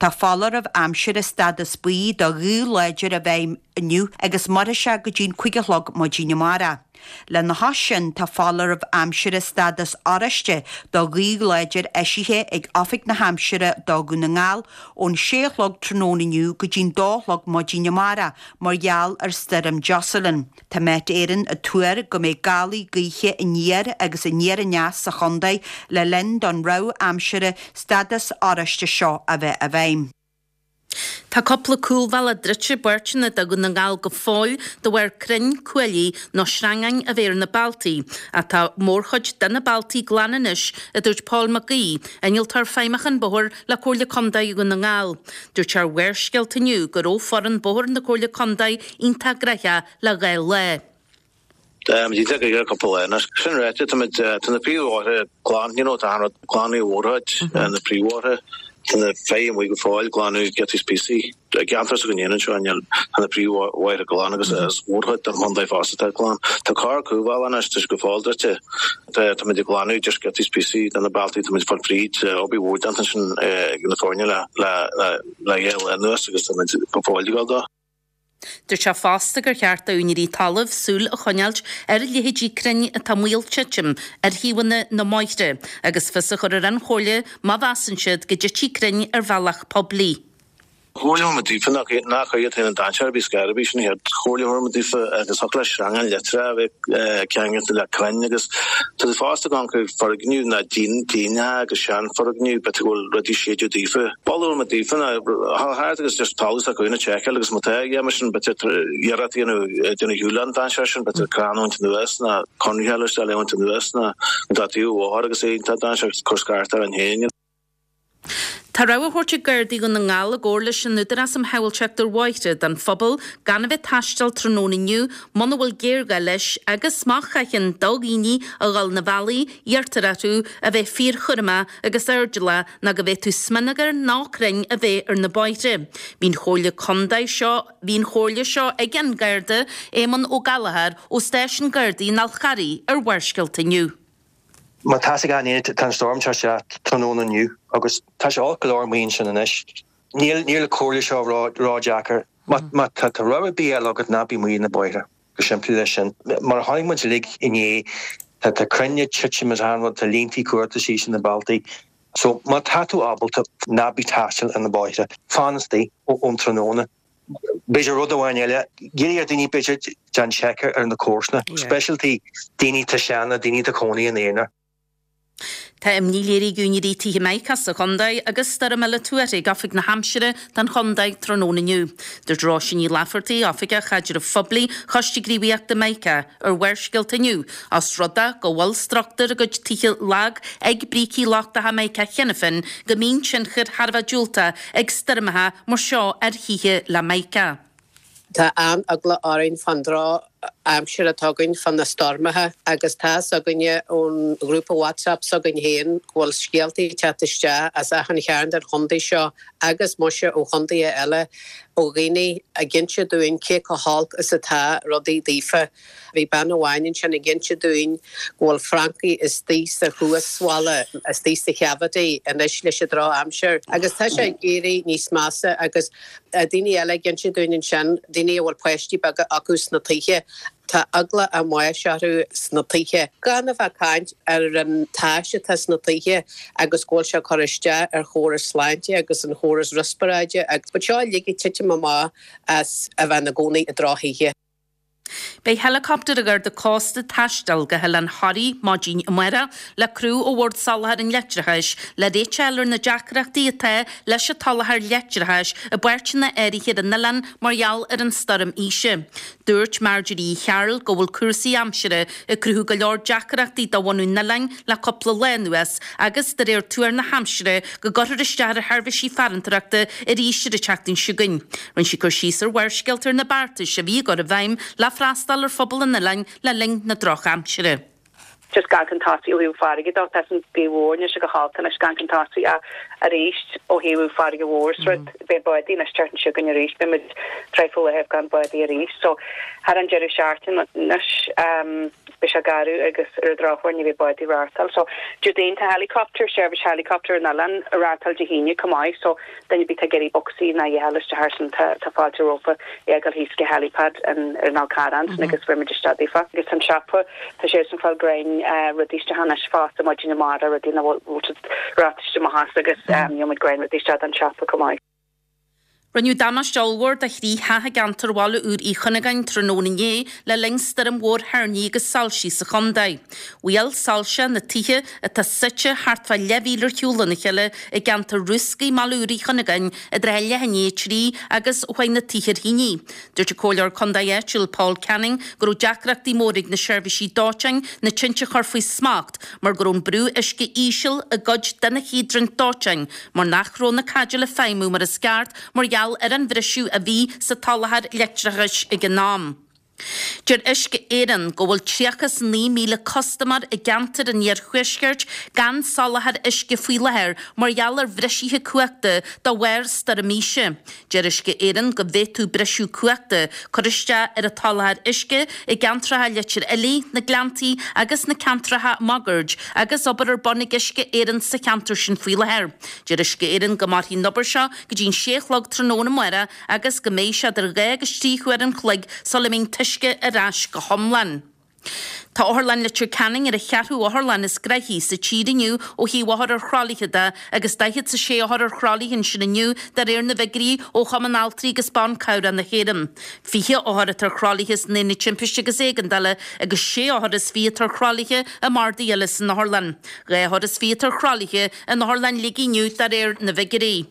Tá foláireamh aimsire stádas buí do ghaoth láidir i bhfeidhm inniu agus mairfidh sé go dtí'n cúig a chlog maidin amárach. Lena chois sin, tá foláireamh aimsire stádas oráiste do ghaoth láidir eisithe ag Oifig na hAimsire do Dhún na nGall ón sé a chlog tráthnóna inniu go dtí'n dó a chlog maidin amárach mar gheall ar Stoirm Jocelyn. Tá Met Éireann ag tuar go mbeidh gálaí gaoithe aniar agus aniar aneas sa chontae le linn don rabhadh aimsire stádas oráiste seo a bheith i bhfeidhm. Tá cúpla cúlbhealach druidte i bpáirteanna de Dhún na nGall go fóill de bharr crainn, cuaillí nó sreangáin a bheith ar na bealtaí, ach tá mórchuid de na bealtaí glan anois, a dúirt Paul Mac Aoidh, Innealtóir Feidhmiúcháin Bóthair le Comhairle Contae Dhún na nGall. Dúirt sé ar Bharrscéalta inniu go raibh foireann bóthair na Comhairle Contae iontach gnaitheach le dhá lá. Tá sé ag cúpla lá anois. Sin ráite, táimid, tá na príomhbhóithre glan, you know, tá an rud glanadh mhórchuid na príomhbhóithre, tá na feithimh amuigh go fóill, glanadh giotaí is píosaí. I gceantar s'againn féin anseo, níl, tá na príomhbhóithre glan agus is mórchuid den chontae fosta atá glan. Tá corr cúlbhealach anois, tá sé go fóill druidte. Tá, táimid ag glanadh just giotaí is píosaí de na bealtaí, táimid ag fáil fríd, obair mhór déanta ansin ag na foirne le, le, le, le dhá lá anuas agus táimid go fóill ag gabháil dó. Dúirt sé fosta gur cheart d'úinéirí talaimh súil a choinneáilt ar a leithéidí crainn atá i mbaol titim ar thaobhanna na mbóithre agus fios a chur ar an Chomhairle má mheasann siad go dtitfidh crainn ar bhealach poiblí. Chomhairle muid daofa nach nach iad féin an dainséar a bhí scor a bhí sin iad. Chomhairle muid daofa agus thug le sreangán leictreach a bheith ceangailte le crainn agus tá siad fosta ag amharc ar foirgnimh ná díon díonach agus seanfhoirgnimh b'fhéidir go bhfuil rudaí séideadh daofa. Mholfadh muid daofa ná dhul thart agus just talamh s'acu féin a tseiceáil agus má tá yeah mar sin b'fhéidir iarracht a dhéanamh déanamh shiúl an dainséar sin b'fhéidir crann a bhaint anuas ná conraitheáil isteach le bhaint anuas ná an dá taobh bhóthair agus é iontach dainséar cur scairt orainn féin. Tá rabhadh á thabhairt ag Gardaí Dhún na nGall i gcomhar leis an Údarás um Shábháilteacht ar Bhóithre don phobal gan a bheith ag taisteal tráthnóna inniu muna bhfuil géarghá leis agus má chaitheann do dhaoine a dhul na bealaí, iarrtar orthu a bheith fíorchúramach agus airdeallach ná go bhféadfadh smionagar nó crainn a bheith ar na bóithre. Bhí an Chomhairle Contae seo Bhí an chomhairle seo ag an Garda Éamonn Ó Gallchóir ó Stáisiún Gardaí an Fháil Charraigh ar Bharrscéalta inniu. Má tá a fhios ag gach éinne, tá an stoirm ag teacht isteach tráthnóna inniu agus tá sé olc go leor amuigh ansin anois. Níl níl an chomhairle seo ró-dheacair. Má má tá tá rogha ar bith eile agat ná bí amuigh ar na bóithre. Go simplí leis sin. Mar a chonaic muid uilig inné, tá tá crainn ag titim is achan rud, tá líntí cuarta síos ar na bealtaí. So má tá tú ábalta, ná bí ag taisteal ar na bóithre. Fan istigh ón tráthnóna. B'fhéidir rud amháin eile, iarraidh ar daoine b'fhéidir déan seic ar na comharsana, speisialta daoine atá sean, daoine atá cónaí ina aonar. Tá imní léirithe ag úinéirí tithe Mica sa chontae agus stoirm eile tuartha ag Oifig na hAimsire don chontae tráthnóna inniu. Dúirt Róisín Ní Laifeartaigh, Oifigeach Chaidrimh Phoiblí Choiste Gníomhaíochta Mica, ar Bharrscéalta inniu, os rud é go bhfuil struchtúr a gcuid tithe lag ag brící lochtacha Mica cheana féin, go mbíonn tionchar thar a bheith diúltach ag stoirmeacha mar seo ar thithe le Mica. Tá an-eagla orainn fán drochaimsir atá againn, fá na stoirmeacha, agus tá 'fhios againne ón ghrúpa WhatsApp s'againn féin go bhfuil scéaltaí ag teacht isteach as achan chearn den chontae seo agus muise ó chontaetha eile ó dhaoine ag inse dúinn cé chomh holc is atá rudaí daofa. Bhí bean amháin ansin ag inse dúinn go bhfuil francaigh istigh sa chuasbhalla, istigh sa cavity anois leis an drochaimsir agus tá sé ag éirí níos measa agus daoine eile ag inse dúinn ansin, daoine a bhfuil páistí beaga acu sna tithe, tá eagla a mbáis orthu sna tithe. Gan a bheith ag caint ar an tais atá sna tithe agus go bhfuil sé ag cur isteach ar chóras sláinte agus an chóras riospráide agus seo uilig ag titim amach as a bheith ina gcónaí i drochthithe. Beidh heileacoptar an Gharda Cósta ag taisteal go hOileán Thoraí maidin amárach le criú ó Bhord Soláthair an Leictreachais le réiteach a fháil ar na deacrachtaí atá leis an tsoláthar leictreachais i bpáirteanna áirithe ar an oileán mar gheall ar an stoirm Isha. Dúirt Marjorie Uí Chearúil go bhfuil cúrsaí aimsire ag cruthú go leor deacrachtaí do bhunadh an oileáin le cúpla lá anuas agus, de réir tuar na haimsire, go gcuirfear isteach ar sheirbhísí farantóireachta arís ar an tseachtain seo chugainn. Rinne sí cur síos ar Bharrscéalta ar na beartais a bhí á gcur i bhfeidhm le freastal ar phobal an oileáin le linn na drochaimsire. Just gan chun tosaigh ó thaobh farraige de, tá an ghaoth mhór anois go holc anois gan chun tosaigh arís ó thaobh farraige mhór is rud beidh bádaí anois teacht anseo againn arís, beidh muid traidhfil le gan bádaí arís. So thar an deireadh seachtaine anois beidh sé garbh agus ar an drochuair ní bheidh bádaí reáchtáil. So Déardaoin tá helicopter, seirbhís helicopter an oileán a reáchtáil Dé hAoine chomh maith so duine ar bith atá ag iarraidh bocsaí ná a fháil isteach thar sin tá tá fáilte rompu é a ghoil thíos go helipad an ar an Fhál Carrach ansin agus bhfuil muid isteach daofa. Agus an siopa tá sé san fáil grein rudaí isteach anois fosta maidin amárach rudaí nach bhfuil siad ráite amach as agus gheobhaidh muid grein rudaí isteach don siopa chomh maith. Rinneadh damáiste ollmhór do thrí theach i gceantar Bhaile Úr Uí Chuinneagáin tráthnóna inné le linn stoirm mhór thoirní agus soilsí sa chontae. Bhuail soilse na tithe atá suite thart fá leathmhíle ar shiúl óna chéile i gceantar Rúscaí i mBaile Úr Uí Chuinneagáin i dtrátha leath i ndiaidh a trí agus chuaigh na tithe ar thine. Dúirt an Comhairleoir Contae áitiúil Paul Canning go raibh deacrachtaí móra ag na seirbhísí dóiteáin na tinte a chur faoi smacht mar go raibh an brú uisce íseal i gcuid de na híodraint dóiteáin mar nach raibh na caidéil ag feidhmiú mar is ceart mar gheall ar an bhriseadh a bhí sa tsoláthar leictreachais ag an am. Deir Uisce Éireann go bhfuil tríocha is naoi míle custaiméir i gceantar an iarthuaiscirt gan soláthar uisce faoi láthair mar gheall ar bhrisithe cumhachta de bharr Stoirm Isha. Deir Uisce Éireann go bhféadfadh briseadh cumhachta cur isteach ar an tsoláthar uisce i gceantracha Leitir Fhiilí, na Gleanntaí agus na ceantracha máguaird agus obair ar bun ag Uisce Éireann sa cheantar sin faoi láthair. Deir Uisce Éireann go mairfidh an obair seo go dtí an sé a chlog tráthnóna amárach agus go mbeidh sé idir dhá agus trí huair an chloig sula mbeidh an t-uisce ar ais go hiomlán. Tá Otharlann Leitir Ceanainn ar an cheathrú otharlann is gnoithí sa tír inniu ó thaobh othar ar thralaithe de agus daichead 's a sé othar ar thralaithe ansin inniu de réir na bhfigiúirí ó Chumann Altraí agus Ban Cabhrach na hÉireann. Fiche othar atá ar thralaithe san Aonad Timpiste agus Éigeandála agus sé othar is fiche atá ar thralaithe i mbardaí eile san otharlann. Dhá othar is fiche atá ar thralaithe in Otharlann Shligigh inniu de réir na bhfigiúirí.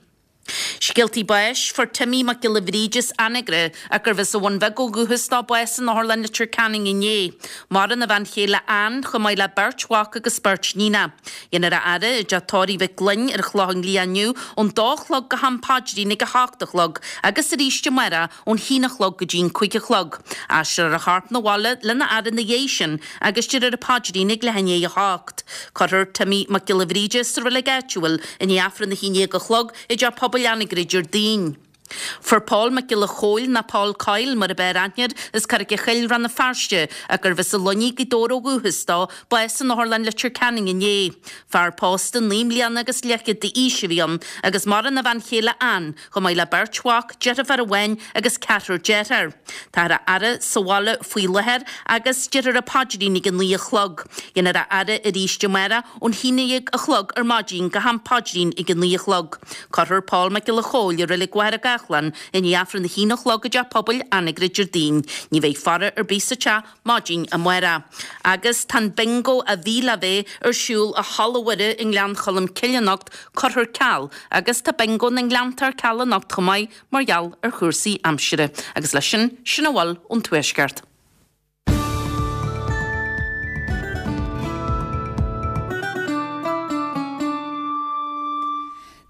Scéaltaí báis, Fuair Timmy Mac Giolla Bhríde as Anagaire, ach gurbh as an Bhun Bheag ó dhúchas dó, bás in Otharlann Leitir Ceanainn inné. Maireann a bhean chéile Ann, chomh maith le beirt mhac agus beirt níonach. Déanfar a fhaire i dTeach Tórraimh Mhic Gloinn ar an Chlochán Liath inniu ón dó a chlog go ham paidrín ag a hocht a chlog agus arís amárach ón haon a chlog go dtí an cúig a chlog. Aistreofar a chorp 'na bhaile lena fhaire ina dhiaidh sin agus déarfar an paidrín ag leath i ndiaidh a hocht. Cuirfear Timmy Mac Giolla Bhríde sa reilig áitiúil i ndiaidh Aifreann a haon déag a chlog i dTeach Pobail Anagaire Déardaoin. Fuair Pól Mac Giolla Chóill, nó Paul Coyle mar ab fhearr aithne air, as Carraig a' Choill, Rann na Feirste, ach gurbh as an Luinnigh, Gaoth Dobhair ó dhúchas dó, bás in Otharlann Leitir Ceanainn inné. Fear pósta naoi mbliana agus leathchéad d'aois a bhí ann agus maireann a bhean chéile Ann, chomh maith le beirt mhac, deirfiúr amháin agus ceathrar dearthár. Táthar á fhaire sa bhaile faoi láthair agus déarfar an paidrín ag a naoi a chlog. Déanfar a fhaire arís amárach ón haon déag a chlog ar maidin go ham paidrín ag a naoi a chlog. Cuirfear Pól Mac Giolla Chóill i Reilig Mhachaire Gathlán i ndiaidh Aifreann a haon a chlog i dTeach Pobail Anagaire Déardaoin. Ní bheidh faire ar bith sa teach maidin amárach. Agus tá an Bingo a bhí le bheith ar siúl i Halla Mhuire i nGleann Cholm Cille anocht curtha ar ceal agus tá Bingo na nGleannta ar ceal anocht chomh maith mar gheall ar chúrsaí aimsire. Agus leis sin, sin a bhfuil ón Tuaisceart.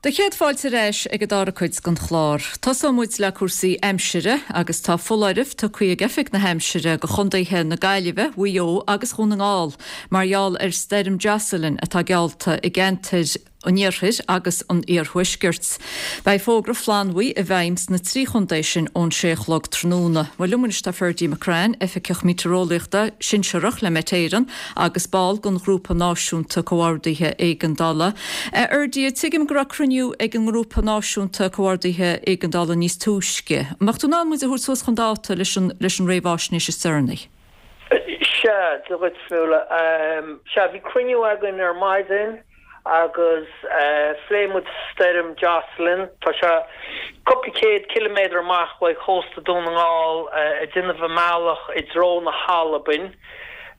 Do chéad fáilte ar ais ag an dara cuid den chlár. Tosóidh muid le cúrsaí aimsire agus tá foláireamh tugtha ag Oifig na hAimsire do chontaetha na Gaillimhe, Mhaigh Eo agus Dhún na nGall mar gheall ar Stoirm Jocelyn atá geallta i gceantair an iarthair agus an iarthuaiscirt. Beidh fógra flannbhuí i bhfeidhm sna trí chontae sin ón sé a chlog tráthnóna. Bhuel liom anois tá Ferdie McCrann, Oifigeach Meitéareolaíochta Sinsearach le Met Éireann agus ball den Ghrúpa Náisiúnta Comhordaithe Éigeandála. A Fherdie, tuigim go raibh cruinniú ag an nGrúpa Náisiúnta Comhordaithe Éigeandála níos túisce. An mbeadh tú in ann muid a thabhairt suas chun dáta leis an leis an réamhaisnéis is deireanaí? Sea, Dia dhuit, Nuala. Sea, bhí cruinniú againn ar maidin agus phléigh muid stoirm Jocelyn. Tá sé cúpla céad ciliméadar amach uaidh chósta Dún na nGall ag déanamh a mbealach i dtreo na hAlbain.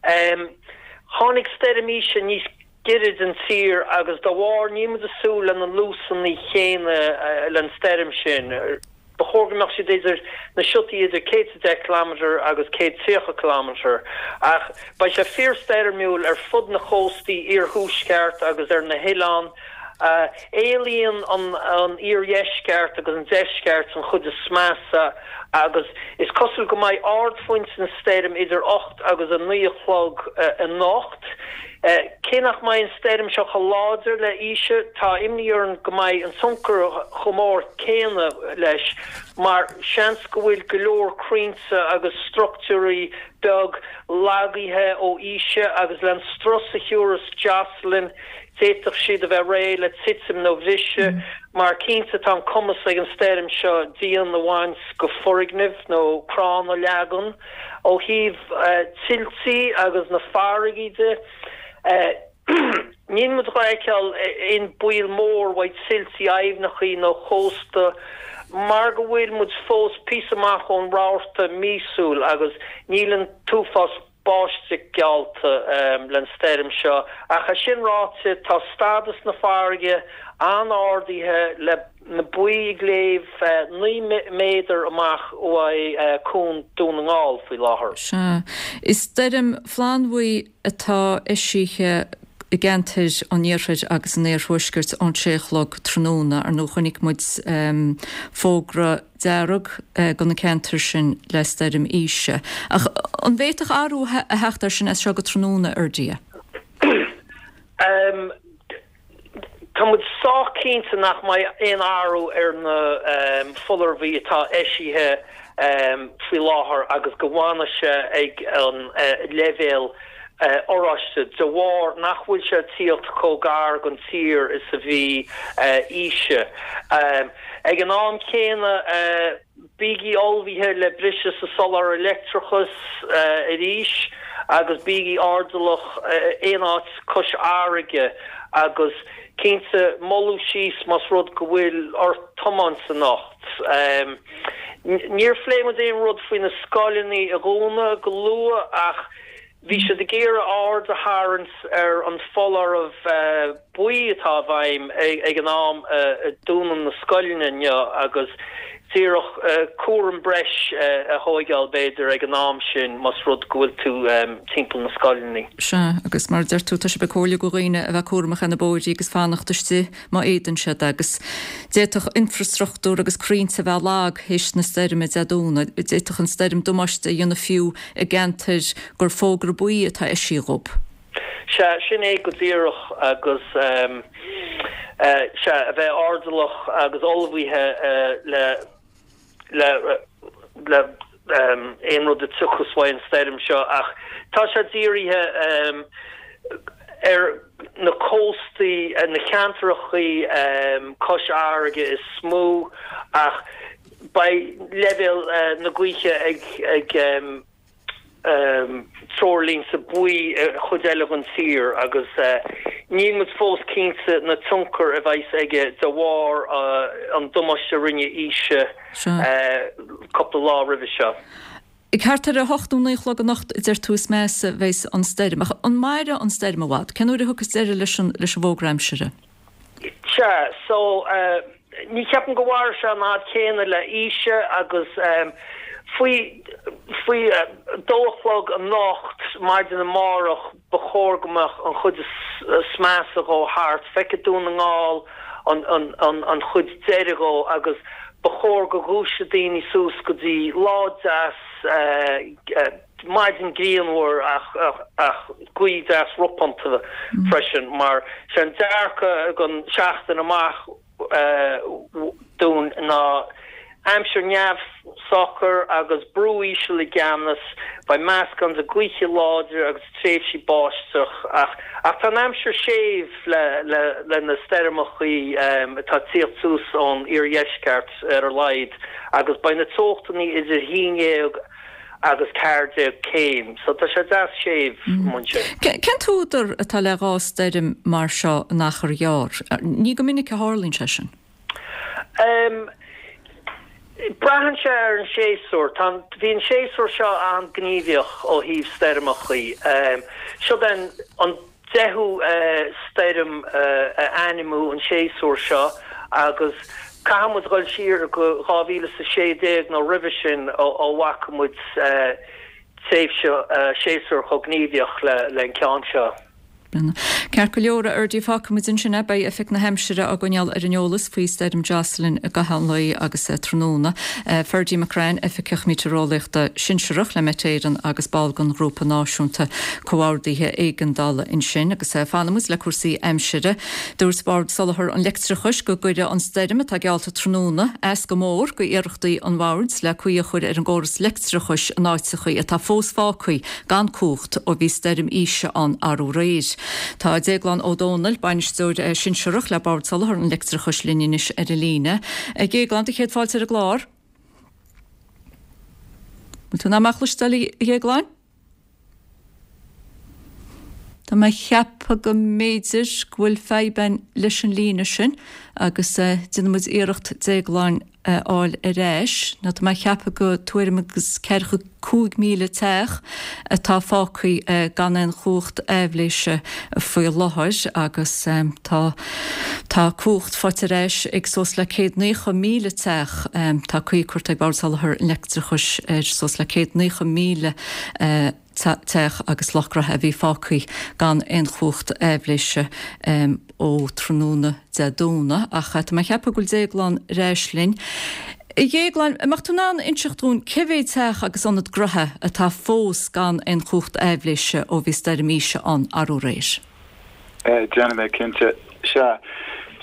Tháinig stoirm Isha níos giorra don tír agus dá bharr níl muid ag súil le na luasanna céanna len stoirm sin. Ba chóir go mbeadh siad idir na siotaí idir céad is a deich kilometre agus céad tríocha kilometre, ach beidh sé fíorstoirmiúil ar fud na chóstaí iarthuaisceart agus ar na hoileáin Éalaíonn an iardheisceart agus an deisceart an chuid is measa agus is cosúil go mbeidh ardphointe na stoirm idir ocht agus a naoi a chlog anocht. Cé nach mbeidh an stoirm seo chomh láidir le Isha, tá imní orainn go mbeidh an tionchar chomh mór céanna leis mar seans go bhfuil go leor crainnte agus struchtúirí beag lagaithe ó Isha agus le an strus a thiúrfas Jocelyn d'fhéadfadh siad a bheith réidh le titim nó bhriseadh mar cinnte tá an cumas ag an stoirm seo díon a bhaint go foirgnimh nó crann a leagan. Ó thaobh tuiltí agus na farraigí de, níl muid dhá fheiceáil aon baol mór uaidh tuiltí aibhneachaí nó chósta mar go bhfuil muid fós píosa amach ón rabharta míosúil agus níl an t-uafás báisteach geallta len stoirm seo. Ach é sin ráite, tá stádas na farraige an-ardaithe le na boinn ag léamh naoi méadar amach uaidh cuan Dún na nGall faoi láthair. Sea. Is stoirm flannbhuí atá eisithe i gceantair an iarthair agus an iarthuaiscirt ón sé a chlog tráthnóna. Ar ndóigh chonaic muid fógra dearg do na ceantair sin le stoirm Isha. Ach an bhféadfadh athrú a theacht air sin as seo go tráthnóna, Ferdia? Tá muid sách cinnte nach mbeidh aon athrú ar na foláirimh atá eisithe faoi láthair agus go bhfanfaidh sé ag an leibhéal oráiste de bharr nach bhfuil sé ag tíocht chomh gar don tír is a bhí Isha. Ag an am céanna, bígí ullmhaithe le briseadh sa soláthar leictreachais arís agus bígí airdeallach aon áit cois fharraige agus cinnte moilliú síos más rud go bhfuil ort tiomáint anocht. Níor phléigh muid aon rud faoi na scoileanna a dhúnadh go luath ach Bhí siad ag iarraidh aird a tharraingt ar an foláireamh buí atá i bhfeidhm ag an am a dúnann na scoileanna inniu agus díreach cúram breis a thóigeáil b'fhéidir ag an am sin más rud go bhfuil tú timpeall na scoileanna. Sea, agus mar a deir tú, tá sibh ag comhairliú go dhaoine a bheith cúramach ar na bóithrí agus fanacht istigh má fhéadann siad agus d'fhéadfadh infreastruchtúr agus crainnte a bheith lag théis na stoirme Dé Domhnaigh. D'fhéadfadh an stoirm damáiste a dhéanamh fiú i gceantair gur fógra buí atá eisithe dhób. Sea, sin é go díreach agus sea, a bheith airdeallach agus ullmhaithe le le le aon rud a tiocfas uaidh an stoirm seo ach tá sé dírithe ar na cóstaí, na ceantrachaí cois fharraige is mó ach beidh leibhéal na gaoithe ag treoirlínte buí i chuid eile den tír agus níl muid fós cinnte na tionchar a bheas aige de bharr an damáiste a rinne Isha cúpla lá roimhe seo. Ag thart ar a hocht nó naoi a chlog anocht a deir tú is measa a bheas an stoirm. Ach an mairfidh an stoirm i bhfad? Cén uair a thiocfas deireadh leis an leis an bhfógra aimsire? Sea, so ní cheapaim go mhairfidh sé an fhad céanna le Isha agus faoi faoi dó a chlog anocht, maidin amárach, ba chóir go mbeadh an chuid is measa dhó thart. Feicfidh Dún na nGall an an an an chuid deiridh dhó agus ba chóir go dhúiseadh daoine suas go dtí lá deas, maidin grianmhar ach ach gaoth deas ropánta freisin mar sé an dearcadh don seachtain amach dúinn ná aimsir neamhshocair agus brú íseal i gceannas, beidh meascán de gaoithe láidre agus tréimhsí báisteach ach ach tá an aimsir séimh le le le na stoirmeachaí atá ag tíocht suas ón iardheisceart ar a laghad agus beidh na teochtanna idir haon dhéag agus ceathair déag céim so tá sé deas séimh ansin. Cén t-údar atá le dhá stoirm mar seo in achar ghearr? Ní go minic a tharlaíonn sé sin. Braitheann sé ar an séasúr. Tá an, bhí an séasúr seo an-ghníomhach ó thaobh stoirmeachaí. Siod é an deichiú stoirm a ainmniú an séasúr seo agus caithfidh muid dhul siar go dhá mhíle is a sé déag nó roimhe sin ó bhfaca muid tréimhse séasúr chomh gníomhach le an ceann seo. Ceart go leor, a Fherdie, fágfaimid ansin é. Beidh Oifig na hAimsire á gcoinneáil ar an eolas faoi Stoirm Jocelyn i gcaitheamh an lae agus tráthnóna. Ferdie McCrann, Oifigeach Meitéareolaíochta Sinsearach le Met Éireann agus ball den Ghrúpa Náisiúnta Comhordaithe Éigeandála ansin. Agus fanfaimid le cúrsaí aimsire. Dúirt Bord Soláthair an Leictreachais go gcuirfidh an stoirm atá geallta tráthnóna as go mór go iarrachtaí an bhoird le caoi a chur ar an gcóras leictreachais in áiteachaí atá fós fágtha gan cumhacht ó bhí stoirm Isha ann arú aréir. Tá Déaglán Ó Dónaill, bainisteoir sinsearach le Bord Soláthair an Leictreachais linn anois ar an líne. A Dhéagláin, do chéad fáilte ar an gclár. Bhfuil tú in ann mé a chloisteáil, a Dhéagláin? Tá mé ag ceapadh go mb'fhéidir go bhfuil fadhb againn leis an líne sin agus déanfaidh muid iarracht Déaglán a fháil ar ais. Nó tá mé ag ceapadh go tuairim agus ceathracha cúig míle teach atá fágtha gan aon chumhacht aibhléise faoi láthair agus tá tá cumhacht faighte ar ais ag suas le céad naocha míle teach. Tá caoi curtha ag Bord Soláthair an Leictreachais ar suas le céad naocha míle teach agus lucht gnaithe a bhí fágtha gan aon chumhacht aibhléise ó tráthnóna Dé Domhnaigh ach tá mé ag ceapadh go bhfuil Déaglán ar ais linn. A Dhéagláin, an mbeadh tú in ann inseacht dúinn cé mhéad teach agus ionad gnaithe atá fós gan aon chumhacht aibhléise ó bhí stoirm Isha ann arú aréir? Déanfaidh mé cinnte. Sea.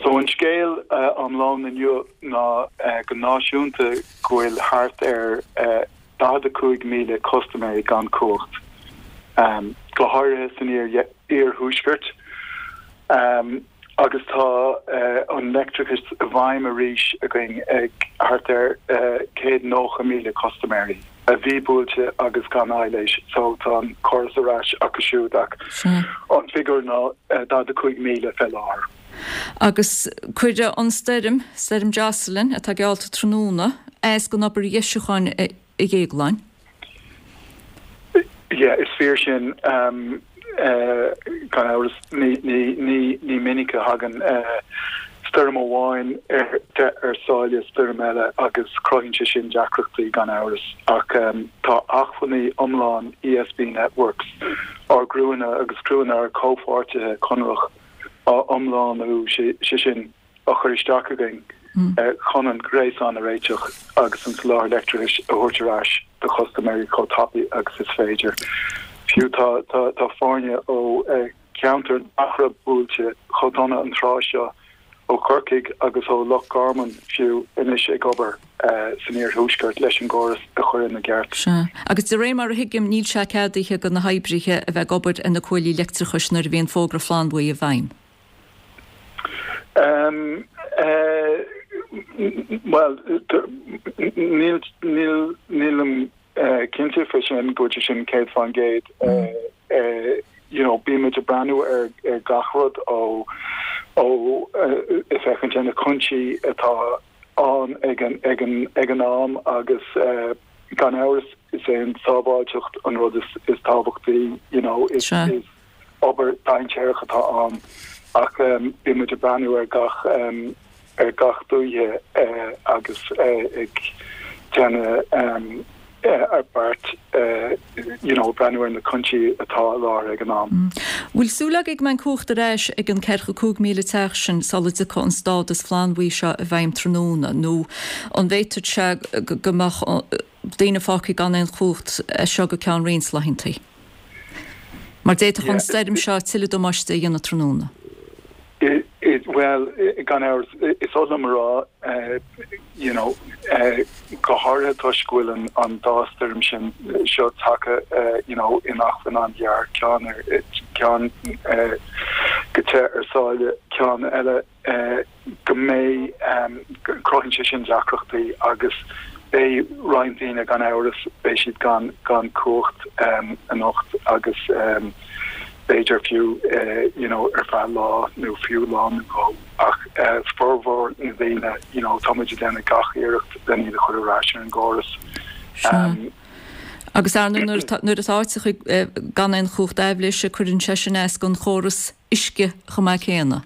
So an scéal iomlán inniu ná go náisiúnta go bhfuil thart ar daichead a cúig míle custaiméirí gan cumhacht, go háirithe san iarthuaisceart, agus tá an leictreachas i bhfeidhm arís againn ag thart ar céad nócha míle custaiméirí a bhí buailte agus gan aibhléis, so tá an córas ar ais acu siúd ach an figiúr ná daichead a cúig míle fé láthair. Agus cuirfidh an stoirm, Stoirm Jocelyn, atá geallta tráthnóna, as don obair dheisiúcháin a Dhéagláin. Yeah, is fíor sin, gan amhras. Ní minic a thagann stoirm amháin ar ar sáile stoirm eile agus cruthaíonn sé sin deacrachtaí gan amhras. Ach tá acmhainní iomlán ESB Networks, ár gcriúnna agus criúnna ár comhpháirtithe conrach, á iomlánú, sé sin, á chur isteach againn chun an gréasán a réiteach agus an soláthar leictreachais a thabhairt ar ais do chustaiméirí chomh tapaidh agus is féidir. Fiú tá tá foirne ó cheantair nach raibh buailte chomh dona an tráth seo, ó Chorcaigh agus ó Loch Garman fiú, anois ag obair san iarthuaisceart leis an gcóras a chur ina gceart. Sea. Agus de réir mar a thuigim, níl sé ceadaithe do na hoibrithe a bheith ag obair ar na cuaillí leictreachais nuair a bhíonn fógra flannbhuí i bhfeidhm. Bhuel, níl, níl, nílim cinnte fé sin, go bhfuil sé sin céad fán gcéad. You know, bímid ag breathnú ar ar gach rud ó ó ag féachaint ar na cúinsí atá ann ag an ag an ag an am agus gan amhras is é an tsábháilteacht an rud is is tábhachtaí, you know, is is obair dainséarach atá ann ach bíonn muid ag breathnú ar gach ar gach dúiche agus ag déanamh beart you know breathnú ar na cúinsí atá i láthair ag an am. Bhfuil súil agaibh go mbeidh an cumhacht ar ais ag an ceathracha cúig míle teach sin sula dtiocfaidh an stádas flannbhuí seo i bhfeidhm tráthnóna nó an bhféadfadh sé go mbeadh daoine fágtha gan aon chumhacht as seo go ceann roinnt laethanta? Mar d'fhéadfadh an stoirm seo tuilleadh damáiste a dhéanamh tráthnóna. Bhuel, gan amhras, is oth liom a rá, you know, go háirithe toisc go bhfuil an dá stoirm sin seo tagtha, you know, in achrann an-ghearr, ceann ar, ceann go te ar sáile, ceann eile, go mbeidh, cruthaíonn sé sin deacrachtaí agus beidh roinnt daoine gan amhras, beidh siad gan gan cumhacht anocht agus b'fhéidir fiú you know ar feadh lá nó fiú lá nó dhó ach formhór na ndaoine you know tá muid ag déanamh gach iarracht len iad a chur ar ais ar an gcóras. Sea. Agus ar ndóigh nuair atá áiteacha gan aon chumhacht aibhléise cuireann sé sin as don chóras uisce chomh maith céanna.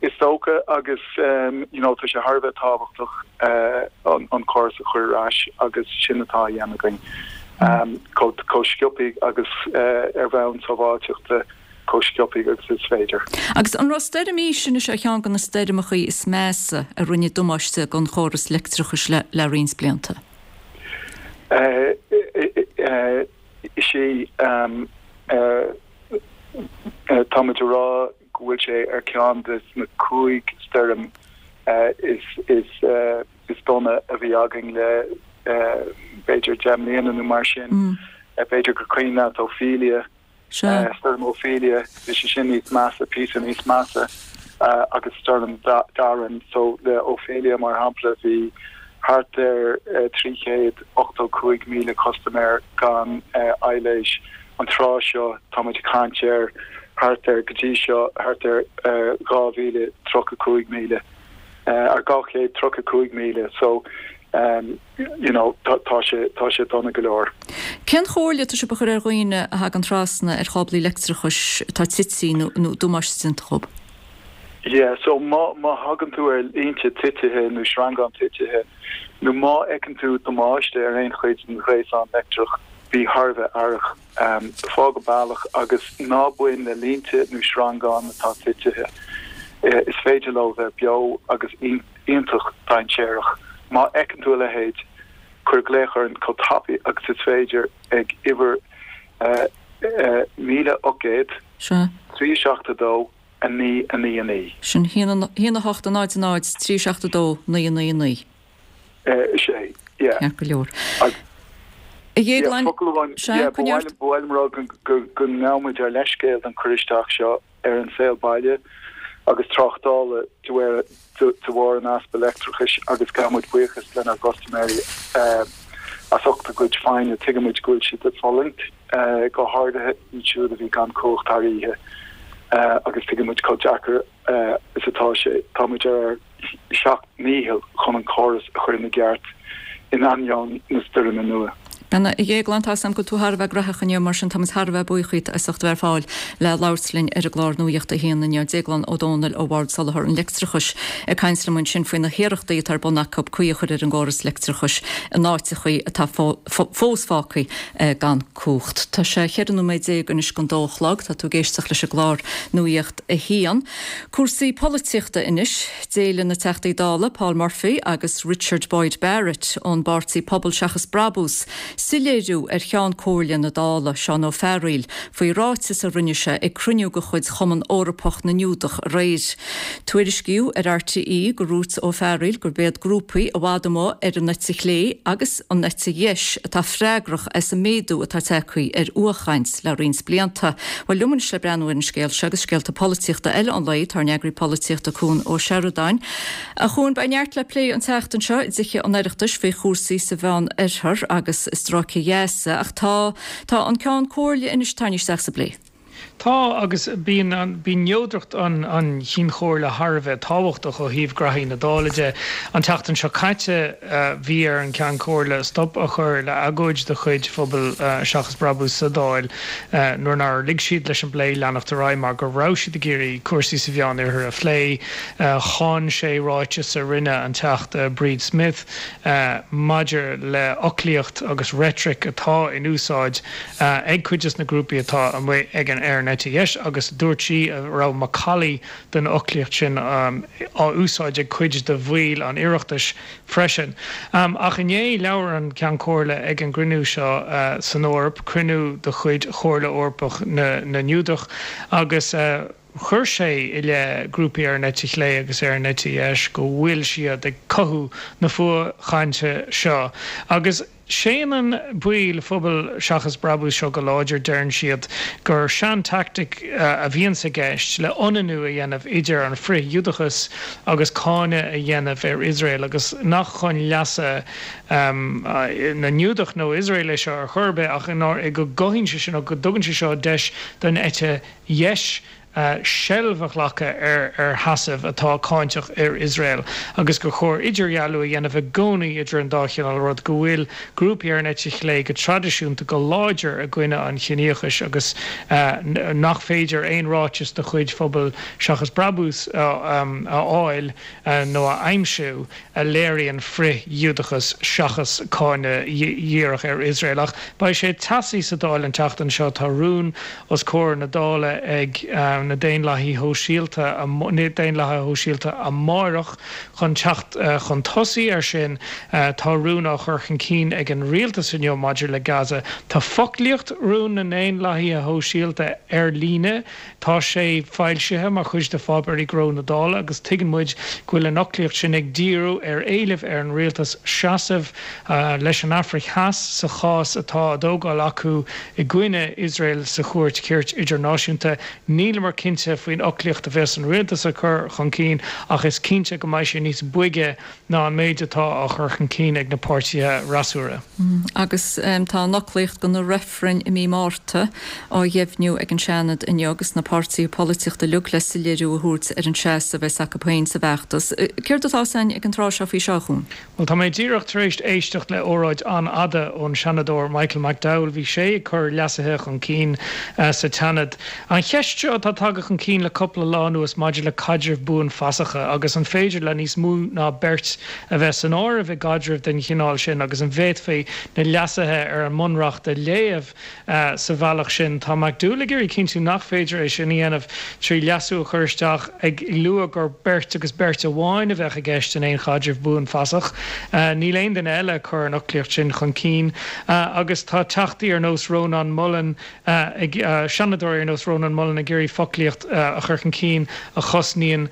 Is dócha agus you know tá sé thar a bheith tábhachtach an córas a chur ar ais agus sin atá á dhéanamh againn. chomh sciobtha agus ar bhonn sábháilteachta chomh sciobtha agus is féidir. Agus an raibh stoirm Isha ar cheann de na stoirmeacha is measa a rinne damáiste don chóras leictreachais le le roinnt blianta? Is é táimid ag rá go bhfuil sé ar ceann de na cúig stoirm is is is dona a bhí againn le b'fhéidir deich mbliana nó mar sin. B'fhéidir gur cuimhin leat Ophelia, Stoirm Ophelia, bhí sé sin níos measa, píosa níos measa agus Stoirm Darren. So le Ophelia mar shampla bhí thart ar trí chéad ochtó cúig míle custaiméir gan aibhléis. An tráth seo táimid ag caint ar thart ar, go dtí seo, thart ar dhá mhíle tríocha cúig míle, ar dhá chéad tríocha cúig míle. So you know tá sé tá sé dona go leor. Cén chomhairle atá sibh a chur ar dhaoine a thagann trasna ar cháblaí leictreachais atá tite nó nó damáiste déanta dhóibh? Yeah, so má má thagann tú ar línte titithe nó sreangán titithe nó má fheiceann tú damáiste ar aon chuid den ghréasán leictreach, bí thar a bheith aireach. Fág an bealach agus ná bain le línte nó sreangáin atá titithe. Is féidir leo bheith beo agus iontach dainséarach. Má fheiceann tú a leithéid, cuir glaoch orainn chomh tapaidh agus is féidir ag uimhir míle ocht gcéad, trí seacht a dó, a naoi, a naoi, a naoi. Sin haon a hocht, a náid, a náid, trí seacht a dó, naoi, a naoi, a naoi. Is é, yeah. Ceart go leor. A Dhéagláin, Focal amháin, yeah, ba mhaith liom a rá go ngabhaimid ár leithscéal don chur isteach seo ar an saol baile agus tráchtála de bharr an easpa leictreachais agus gabhaimid buíochas lenár gcustaiméirí as ucht a gcuid foighne. Tuigimid go bhfuil siad ag fulaingt, go háirithe iad siúd a bhí gan cumhacht thar oíche, agus tuigimid chomh deacair is atá sé. Táimid ar ár seacht ndícheall chun an córas a chur ina gceart in ainneoin na stoirme nua. Bhuel, a Dhéagláin, tá a fhios agam go bhfuil tú thar a bheith graitheach inniu, mar sin táimid thar a bheith buíoch díot as ucht a bheith ar fáil le labhairt linn ar an gclár Nuacht a hAon inniu. Déaglán Ó Dónaill ó Bhord Soláthair an Leictreachais ag caint liom ansin faoi na hiarrachtaí atá ar bun acu caoi a chur ar an gcóras leictreachais in áiteachaí atá fós fágtha gan cumhacht. Tá sé cheithre nóiméad déag anois don dó a chlog. Tá tú ag éisteacht leis an gclár Nuacht a hAon. Cúrsaí polaitíochta anois. D'éiligh na Teachtaí Dála Paul Murphy agus Richard Boyd Barrett ón bpáirtí Pobal Seachas Brabús soiléiriú ar Cheann Comhairle na Dála, Seán Ó Fearghaíl, faoi ráiteas a rinne sé ag cruinniú de chuid Chumann Eorpach na nGiúdach aréir. Tuairiscíodh ar RTÉ gur dhúirt Ó Fearghaíl gurb iad grúpaí i bhfad amuigh ar an eite chlé agus an eite dheis atá freagrach as an méadú atá tagtha ar fhuathchaint le roinnt blianta. Bhuel, liom anois le breathnú ar an scéal seo agus scéalta polaitíochta eile an lae, tá ár n-eagraí polaitíochta Cuan Ó Seireadáin. A Chuain, beidh neart le plé an tseachtain seo i dtithe an Oireachtais faoi chúrsaí sa Mheán Oirthear agus i Stráice Ghaza ach tá tá an Ceann Comhairle anois tarraingthe isteach sa bplé. Tá, agus bíonn bíonn neodracht an an Chinn Chomhairle thar a bheith tábhachtach ó thaobh graithí na Dála de. An tseachtain seo caite bhí ar an Ceann Comhairle stop a chur le agóid de chuid Phobal Seachas Brabús sa Dáil nuair nár lig siad leis an bplé leanacht ar aghaidh mar go raibh siad ag iarraidh cúrsaí sa Mheán Oirthear a phlé. Cháin sé ráiteas a rinne an Teachta Bríd Smith maidir le foclaíocht agus reitric atá in úsáid ag cuid de na grúpaí atá amuigh ag an ar an eite dheis agus dúirt sí go raibh macallaí den fhoclaíocht sin á úsáid ag cuid de bhaill an Oireachtais freisin. Ach inné labhair an Ceann Comhairle ag an gcruinniú seo san Eoraip, cruinniú de chuid Chomhairle Eorpach na nGiúdach, agus chuir sé i leith grúpaí ar an eite chlé agus ar an eite dheis go bhfuil siad ag cothú na fuathchainte seo. Agus séanann baill Phobal Seachas Brabús seo go láidir, deireann siad gur sean-tactic a bhíonns i gceist le ionannú a dhéanamh idir an frith-Ghiúdachas agus cáineadh a dhéanamh ar Iosrael agus nach chun leasa na nGiúdach nó Iosrael é seo ar chor ar bith ach go gcothaíonn sé sin nó go dtugann sé seo deis don eite dheis seilbh a ghlacadh ar ar sheasamh atá cáinteach ar Iosrael agus gur chóir idirdhealú a dhéanamh i gcónaí idir an dá chineál rud, go bhfuil grúpaí ar an eite chlé go traidisiúnta go láidir i gcoinne an chiníochais agus nach féidir aon ráiteas de chuid Phobal Seachas Brabús a fháil nó a aimsiú a léiríonn frith-Ghiúdachas seachas cáineadh dhíreach ar Iosrael. Ach beidh sé teasaí sa Dáil an tseachtain seo. Tá rún os comhair na Dála ag na Daonlathaithe Shóisialta na Daonlathaithe Shóisialta amárach chun teacht chun tosaigh air sin. Tá rún á chur chun cinn ag an rialtas inniu maidir le Gaza. Tá foclaíocht rún na nDaonlathaithe Shóisialta ar líne. Tá sé foilsithe mar chuid de pháipéirí gnó na Dála agus tuigeann muid go bhfuil an fhoclaíocht sin ag díriú ar éilimh ar an rialtas seasamh leis an Afraic Theas sa chás atá á dtógáil acu i gcoinne Iosrael sa Chúirt Chirt Idirnáisiúnta. Níleamar cinnte faoin fhoclaíocht a bheas an rialtas a chur chun cinn ach is cinnte go mbeidh sé níos boige ná an méid atá á chur chun cinn ag na páirtithe fhreasúra. Agus tá an fhoclaíocht do na reifrinn i mí Márta á dheimhniú ag an Seanad inniu agus na páirtithe polaitíochta uilig le soiléiriú a thabhairt ar an seasamh a bheas acu féin sa bhfeachtas. Céard atá againn ag an tráth seo faoi seo, a Chuain? Bhuel, tá mé díreach tar éis éisteacht le óráid an-fhada ón Seanadóir Michael McDowell. Bhí sé ag cur leasuithe chun cinn sa tSeanad. An cheist seo atá tagtha chun cinn le cúpla lá anuas maidir le caidrimh buanfasacha agus an féidir le níos mó ná beirt a bheith san áireamh i gcaidreamh den chineál sin agus an bhféadfaí na leasuithe ar an mBunreacht a léamh sa bhealach sin. Tá McDowell ag iarraidh cinntiú nach féidir é sin a dhéanamh trí leasú a chur isteach ag lua gur beirt agus beirt amháin a bheadh i gceist in aon chaidreamh buanfasach. Níl aon duine eile ag cur an fhoclaíocht sin chun cinn agus tá teachtaí ar nós Rónán Mullen ag, seanadóirí ar nós Rónán Mullen ag iarraidh foclaíocht a chur chun cinn a chosnaíonn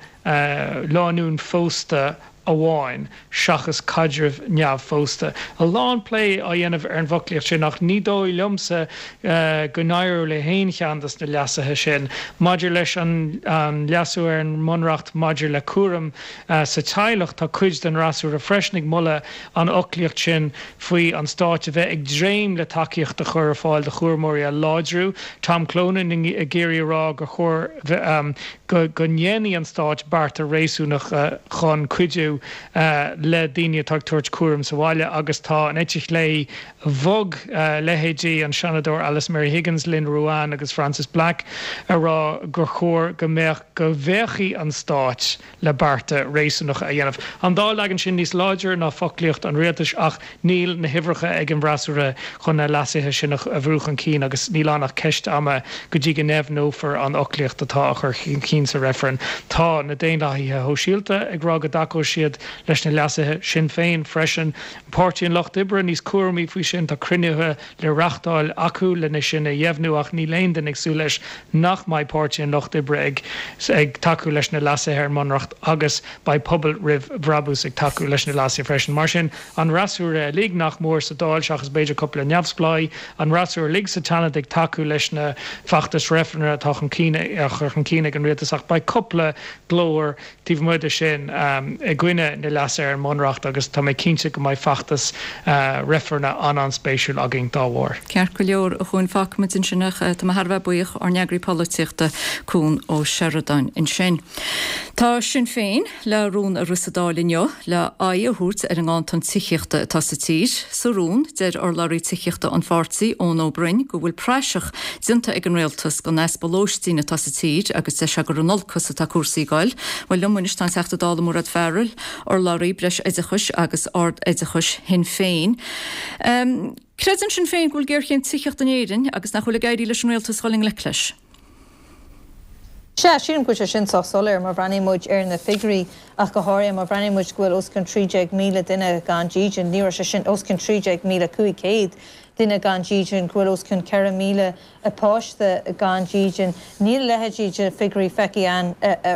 lánúin phósta amháin seachas caidrimh neamhphósta. A lán plé á dhéanamh ar an bhfoclaíocht sin ach ní dóigh liomsa go n-éireoidh le haon cheann de na leasuithe sin. Maidir leis an leasú ar an mBunreacht maidir le cúram sa teaghlach, tá cuid den fhreasúra freisin ag moladh an fhoclaíocht sin faoi an Stáit a bheith ag dréim le tacaíocht a chur ar fáil do chúramóirí a láidriú. Tom Clonan ag iarraidh a rá gur chóir go ndéanfaidh an Stáit bearta réasúnacha chun cuidiú le daoine atá ag tabhairt cúram sa bhaile agus tá an eite chlé bhog, leithéidí an Seanadóir Alice Mary Higgins, Lynn Ruane agus Frances Black ag rá gur chóir go mbeadh go bhféachfaidh an Stáit le bearta réasúnacha a dhéanamh. An dá leagan sin níos láidre ná foclaíocht an rialtais ach níl na huimhreacha ag an bhfreasúra chun na leasuithe sin a bhrú chun cinn agus níl ann ach ceist ama go dtí go ndeimhneofar an fhoclaíocht atá á chur chun cinn sa reifreann. Tá na Daonlathaithe Shóisialta ag rá go dtacóidh siad leis na leasuithe, Sinn Féin freisin, Páirtí an Lucht Oibre níos cúramaí faoi sin, tá cruinnithe le reáchtáil acu lena sin a dheimhniú ach níl aon duine ag súil leis nach mbeidh Páirtí an Lucht Oibre ag ag tacú leis na leasuithe ar an mBunreacht agus beidh Pobal Roimh Bhrabús ag tacú leis na leasuithe freisin. Mar sin, an fhreasúra uilig nach mór sa Dáil, seachas b'fhéidir cúpla neamhspleách, an fhreasúra uilig sa tSeanad ag tacú leis na feachtais reifrinn atá chun cinn á chur chun cinn ag an rialtas ach beidh cúpla glór taobh amuigh de sin i gcoinne na leasuithe ar an mBunreacht agus tá mé cinnte go mbeidh feachtas reifrinn an-an-spéisiúil againn dá bharr. Ceart go leor, a Chuain, fágfaimid ansin ach tá mé thar a bheith buíoch, ár n-eagraí polaitíochta, Cuan Ó Seireadáin ansin. Tá Sinn Féin le rún a rith sa Dáil inniu le aghaidh a thabhairt ar an nganntan tithíochta atá sa tír. Sa rún, deir urlabhraí tithíochta an pháirtí, Eoin Ó Broin, go bhfuil praiseach déanta ag an rialtas den easpa lóistín atá sa tír agus deir sé gur in olcas atá cúrsaí ag goil. Bhuel, liom anois tá an Teachta Dála Mairéad Farrell, urlabhraí Breisoideachais agus Ard-Oideachais Shinn Féin. Creideann Sinn Féin go bhfuil géarchéim tithíochta in Éirinn agus nach bhfuil ag éirí leis an rialtas dhul i ngleic leis. Sea, sílim go bhfuil sé sin sách soiléir má bhreathnaíonn muid ar na figiúirí ach go háirithe má bhreathnaíonn muid go bhfuil os cionn trí déag míle duine gan dídean, ní raibh sé sin os cionn trí déag míle cúig chéad duine gan dídean, go bhfuil os cionn ceithre míle páiste gan dídean. Níl a leithéidí de figiúirí feicthe againn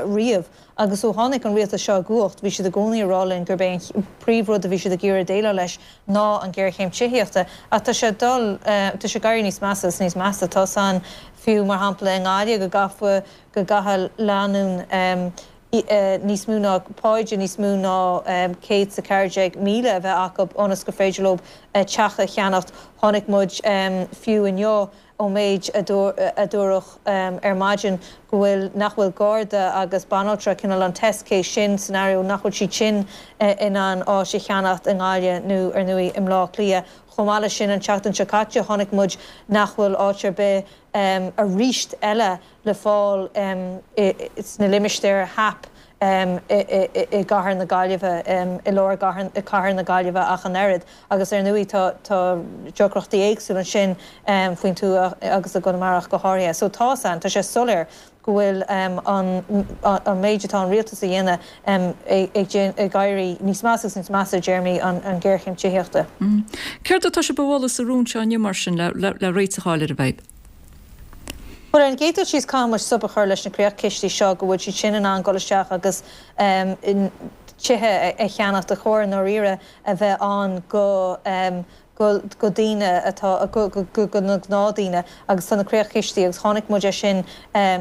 riamh. Agus ó tháinig an rialtas seo i gcumhacht, bhí siad i gcónaí ag rá linn gurb é an príomhrud a bhí siad ag iarraidh déileáil leis ná an ghéarchéim tithíochta. Ach tá sé ag dul, tá sé ag éirí níos measa is níos measa. Tá san, fiú mar shampla i nGaillimh, go gcaithfeadh, go gcaithfeadh lánúin níos mó ná, páide níos mó ná céad is a ceathair déag míle a bheith acu ionas gur féidir leo teach a cheannacht. Chonaic muid fiú inniu, ón méid a dúradh ar maidin go bhfuil nach bhfuil Garda agus banaltra cineál an test case sin scenario nach bhfuil siad sin in ann áit a cheannacht i nGaillimh nó ar ndóigh i mBleá Cliath. Chomh maith leis sin an tseachtain seo caite chonaic muid nach bhfuil áit ar bith arís eile le fáil sna limistéir HAP i gcathair na Gaillimhe, i lár cathair na Gaillimhe ach an oiread agus ar ndóigh tá tá deacrachtaí éagsúla ansin faoin tuath agus i gConamara ach go háirithe. So tá san, tá sé soiléir go bhfuil an an méid atá an rialtas a dhéanamh ag éirí níos measa agus níos measa i dtéarmaí an ghéarchéim tithíochta. Céard atá sibh a mholadh sa rún seo inniu mar sin le réiteach a fháil ar an bhfadhb? Bhuel, ar an gcéad dul síos, caithfidh muid stop a chur leis na creachchistí seo, go bhfuil siad sin in ann dul isteach agus tithe a cheannacht a chóir i ndáiríre a bheith ann go go daoine atá go go na gnáthdaoine agus tá na creachchistí agus chonaic muid é sin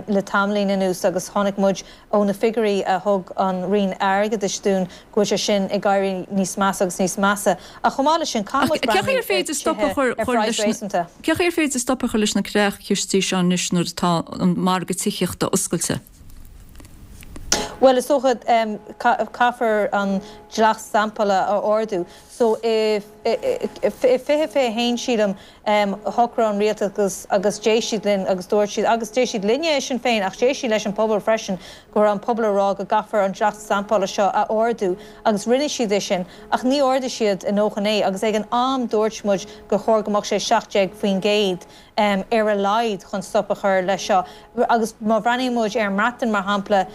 le tamaillín anuas agus chonaic muid ó na figiúirí a thug an Roinn Airgeadais dúinn go bhfuil sé sin ag éirí níos measa agus níos measa. Ach chomh maith leis sin, caithfidh muid breathnú ar tithe ar phraghas réasúnta. Cén chaoi ar féidir stop a chur leis na creachchistí seo anois nuair atá an margadh tithíochta oscailte? Bhuel, is dócha, caithfear an dleacht stampála a ardú. So, i fiche fiche a haon, sílim, shocraigh an rialtas agus d'éist siad linn agus dúirt siad, agus d'éist siad linne i Sinn Féin ach d'éist siad leis an pobal freisin, go raibh an pobal ag rá go gcaithfear an dleacht stampála seo a ardú agus rinne siad é sin ach ní ardaigh siad a ndóthain é agus ag an am dúirt muid gur chóir go mbeadh sé seacht déag faoin gcéad ar a laghad chun stop a chur leis seo agus má bhreathnaíonn muid ar an mBreatain mar shampla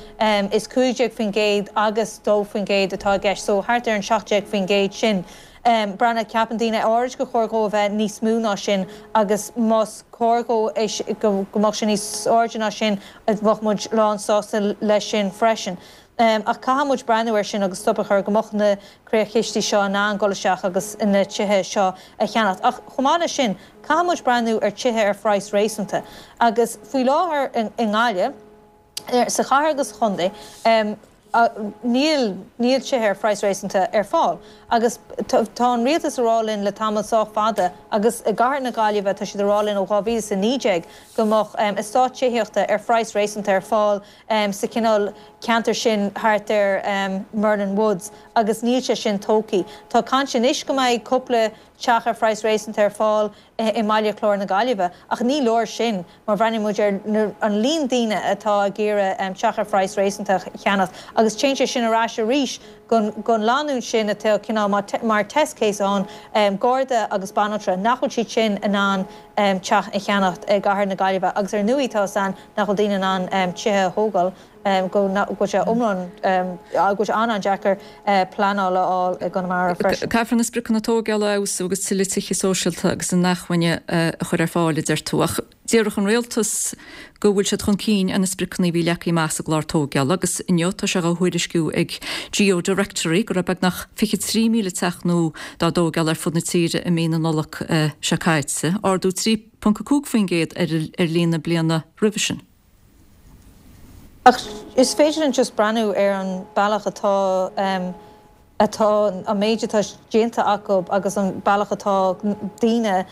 is cúig déag faoin gcéad agus dó faoin gcéad atá i gceist so thart ar an seacht déag faoin gcéad sin. Breathnaigh, ceapann daoine áirid gur chóir dhó a bheith níos mó ná sin agus más cóir dhó go mbeadh sé níos airde ná sin bheadh muid lán sásta leis sin freisin. Ach caithfidh muid breathnú air sin agus stop a chur go mbeadh na creachchistí seo in ann dul isteach agus na tithe seo a cheannacht. Ach chomh maith leis sin, caithfidh muid breathnú ar tithe ar phraghas réasúnta. Agus faoi láthair i nGaillimh, sa chathair agus sa chontae, níl níl tithe ar phraghas réasúnta ar fáil. Agus tá an rialtas ag rá linn le tamall sách fada, agus i gcathair na Gaillimhe tá siad ag rá linn ó dhá mhíle is a naoi déag, go mbeadh eastát tithíochta ar phraghas réasúnta ar fáil sa chineál ceantar sin thart ar Merlin Woods agus níl sé sin tógtha. Tá caint anois go mbeidh cúpla teach ar phraghas réasúnta ar fáil i mBaile Chláir na Gaillimhe ach ní leor sin má bhreathnaíonn muid ar an líon daoine atá ag iarraidh teach ar phraghas réasúnta a cheannacht agus téann sé sin ar ais arís gon lánúin sin atá cineál mar test case ann, Garda agus banaltra, nach bhfuil siad sin in ann teach a cheannacht i gcathair na Gaillimhe agus ar ndóigh tá a fhios againn nach bhfuil daoine in ann tithe a thógáil, go bhfuil sé iomlán, go bhfuil sé an-an-deacair pleanáil a fháil i gConamara freisin. Caithfear na spriocanna tógála a fheabhsú agus tuilleadh tithe sóisialta agus inacmhainne a chur ar fáil, a deir tú. Ach déarfadh an rialtas go bhfuil siad chun cinn ar na spriocanna a bhí leagtha amach sa gclár tógála agus inniu tá sé á thuairisciú ag GeoDirectory go raibh beagnach fiche trí míle teach nua dá dtógáil ar fud na tíre i mí na Nollag seo caite, ardú trí ponc a cúig faoin gcéad ar líon na bliana roimhe sin. Ach is féidir linn just breathnú ar an bealach atá atá an méid atá déanta acu agus an bealach atá daoine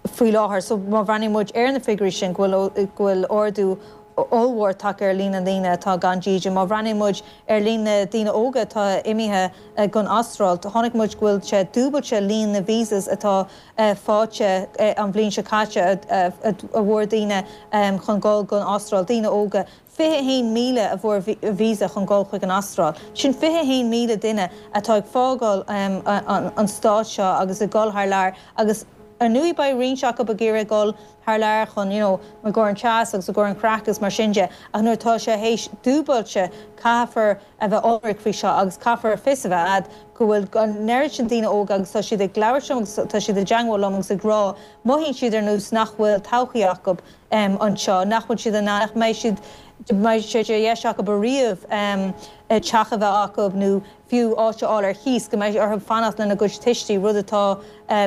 faoi láthair. So má bhreathnaíonn muid ar na figiúirí sin go bhfuil go bhfuil ardú ollmhór tagtha ar líon na ndaoine atá gan dídean. Má bhreathnaíonn muid ar líon na daoine óga atá imithe gon Astráil, chonaic muid go bhfuil sé dúbailte líon na visas atá faighte an bhliain seo caite a bhfuair daoine chun dul gon Astráil, daoine óga, fiche a haon míle a bhfuair visa chun dul chuig an Astráil. Sin fiche a haon míle duine atá ag fágáil an stáit seo agus ag dul thar lear agus ar ndóigh beidh roinnt acu ag iarraidh dul thar lear chun you know i gcomhair an teas agus i gcomhair an craic agus mar sin de ach nuair atá sé théis dúbailte caithfear a bheith ionraic faoi seo agus caithfear fios a bheith a'd go bhfuil an oiread sin daoine óga agus tá siad ag labhairt liom agus tá siad i dteangmháil liom agus ag rá mothaíonn siad ar nós nach bhfuil todhchaí acu anseo, nach bhfuil siad in ann, nach mbeidh siad, mbeidh sé de dheis acu ariamh teach a bheith acu nó fiú áit a fháil ar cíos, go mbeidh orthu fanacht lena gcuid tuistí, rud atá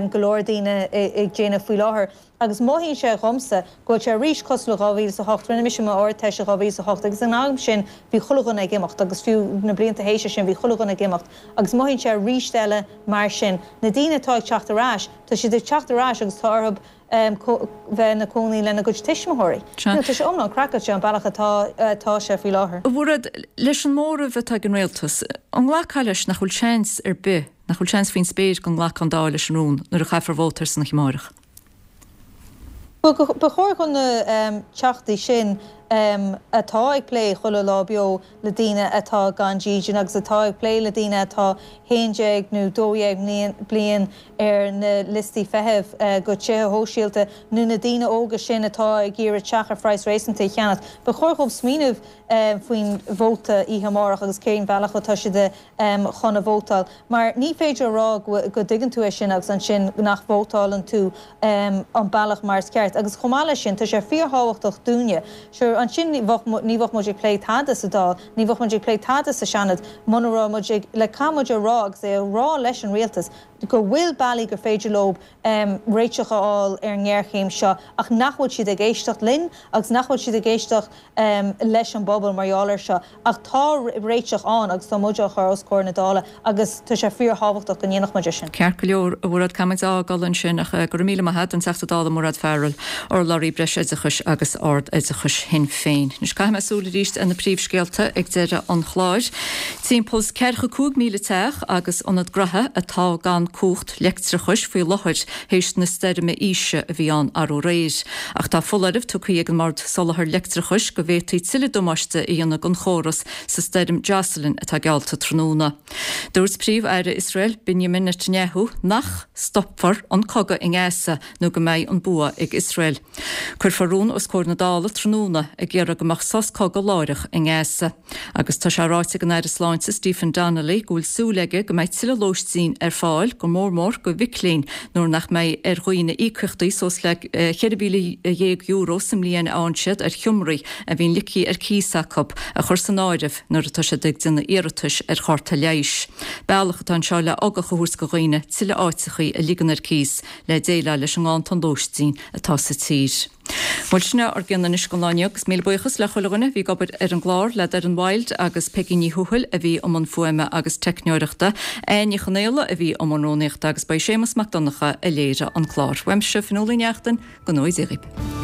go leor daoine ag déanamh faoi láthair. Agus mothaíonn sé dhomsa go bhfuil sé arís cosúil le dhá mhíle is a hocht, rinne mise m'Ardteist i dhá mhíle is a hocht agus an am sin bhí chuile dhuine ag imeacht agus fiú na blianta théis sin bhí chuile dhuine ag imeacht agus mothaíonn sé arís eile mar sin. Na daoine atá ag teacht ar ais, tá siad ag teacht ar ais agus tá orthu bheith ina gcónaí lena gcuid tuismitheoirí. Tá sé iomlán craiceáilte an bealach atá atá sé faoi láthair. A Mhairéad, leis an móramh atá ag an rialtas, an nglacfá leis nach bhfuil seans ar bith, nach bhfuil seans faoin spéir go nglacfaidh an Dáil leis an rún nuair a chaithfear vóta air san oíche amárach? Ba chóir do na Teachtaí sin atá ag plé chuile lá beo le daoine atá gan dídean agus atá ag plé le daoine atá haon déag nó dó dhéag bliain ar na liostaí feithimh go tithe shóisialta nó na daoine óga sin atá ag iarraidh teach ar phraghas réasúnta a cheannacht. Ba chóir dhóibh smaoineamh faoin vóta oíche amárach agus cén bhealach atá siad chun a vótáil. Mar ní féidir a rá go dtuigeann tú é sin agus ansin nach vótálann tú an bealach mar is ceart. Agus chomh maith leis sin, tá sé fíorthábhachtach dúinne. Sure, ansin ní bheadh muid ag plé tada sa Dáil, ní bheadh muid ag plé tada sa Seanad muna raibh muid ag, le caithfidh muid a rá agus é a rá leis an rialtas go bhfuil bealaí gur féidir leo réiteach a fháil ar an ngéarchéim seo ach nach bhfuil siad ag éisteacht linn agus nach bhfuil siad ag éisteacht leis an bpobal mar gheall air seo. Ach tá réiteach ann agus tá muid á chur os comhair na Dála agus tá sé fíorthábhachtach go ndéanfadh muid é sin. Ceart go leor, a Mhairéad, caithfidh muid a fhágáil ansin ach go raibh míle maith agat, an Teachta Dála Mairéad Farrell, urlabhraí Breisoideachais agus Ard-Oideachais Shinn Féin. Anois caithfidh mé súil arís ar na príomhscéalta ag deireadh an chláir. Timpeall ceathracha cúig míle teach agus ionad graithe atá gan cumhacht leictreachais faoi láthair théis na stoirme Isha a bhí ann arú aréir. Ach tá foláireamh tugtha ag an mBord Soláthair Leictreachais go bhféadfaí tuilleadh damáiste a dhéanamh don chóras sa stoirm Jocelyn atá geallta tráthnóna. Dúirt Príomh-Aire Iosrael Benjamin Netanyahu nach stopfar an cogadh i nGaza nó go mbeidh an bua ag Iosrael. Cuirfear rún os comhair na Dála tráthnóna ag iarraidh go mbeadh sos cogaidh láithreach i nGaza. Agus tá sé ráite ag an Aire Sláinte Stephen Donnelly go bhfuil súil aige go mbeidh tuilleadh lóistín ar fáil, go mór mór do mhic léinn, nuair nach mbeidh ar dhaoine íocaíochtaí suas le ceithre mhíle dhéag euro sa mbliain a fhaigheann siad ar sheomraí a bhíonn ligthe ar cíos acu a chur san áireamh nuair atá siad ag déanamh iarratais ar chárta leighis. Bealach atá anseo le ugach a thabhairt do dhaoine tuilleadh áiteachaí a ligean ar cíos le déileáil leis an nganntan lóistín atá sa tír. Bhuel sin é ár gcion anois don lá inniu agus míle buíochas le chuile dhuine a bhí ag obair ar an gclár, le Doireann Wilde agus Peigí Ní Thuathail a bhí i mbun fuaime agus teicneoireachta, Áine Ní Chonaola a bhí i mbun rúnaíochta agus ba é Séamus Mac Donncha a léirigh an clár. Uaimse, Fionnuala Ní Neachtain, go ngnóthaí Dia dhaoibh.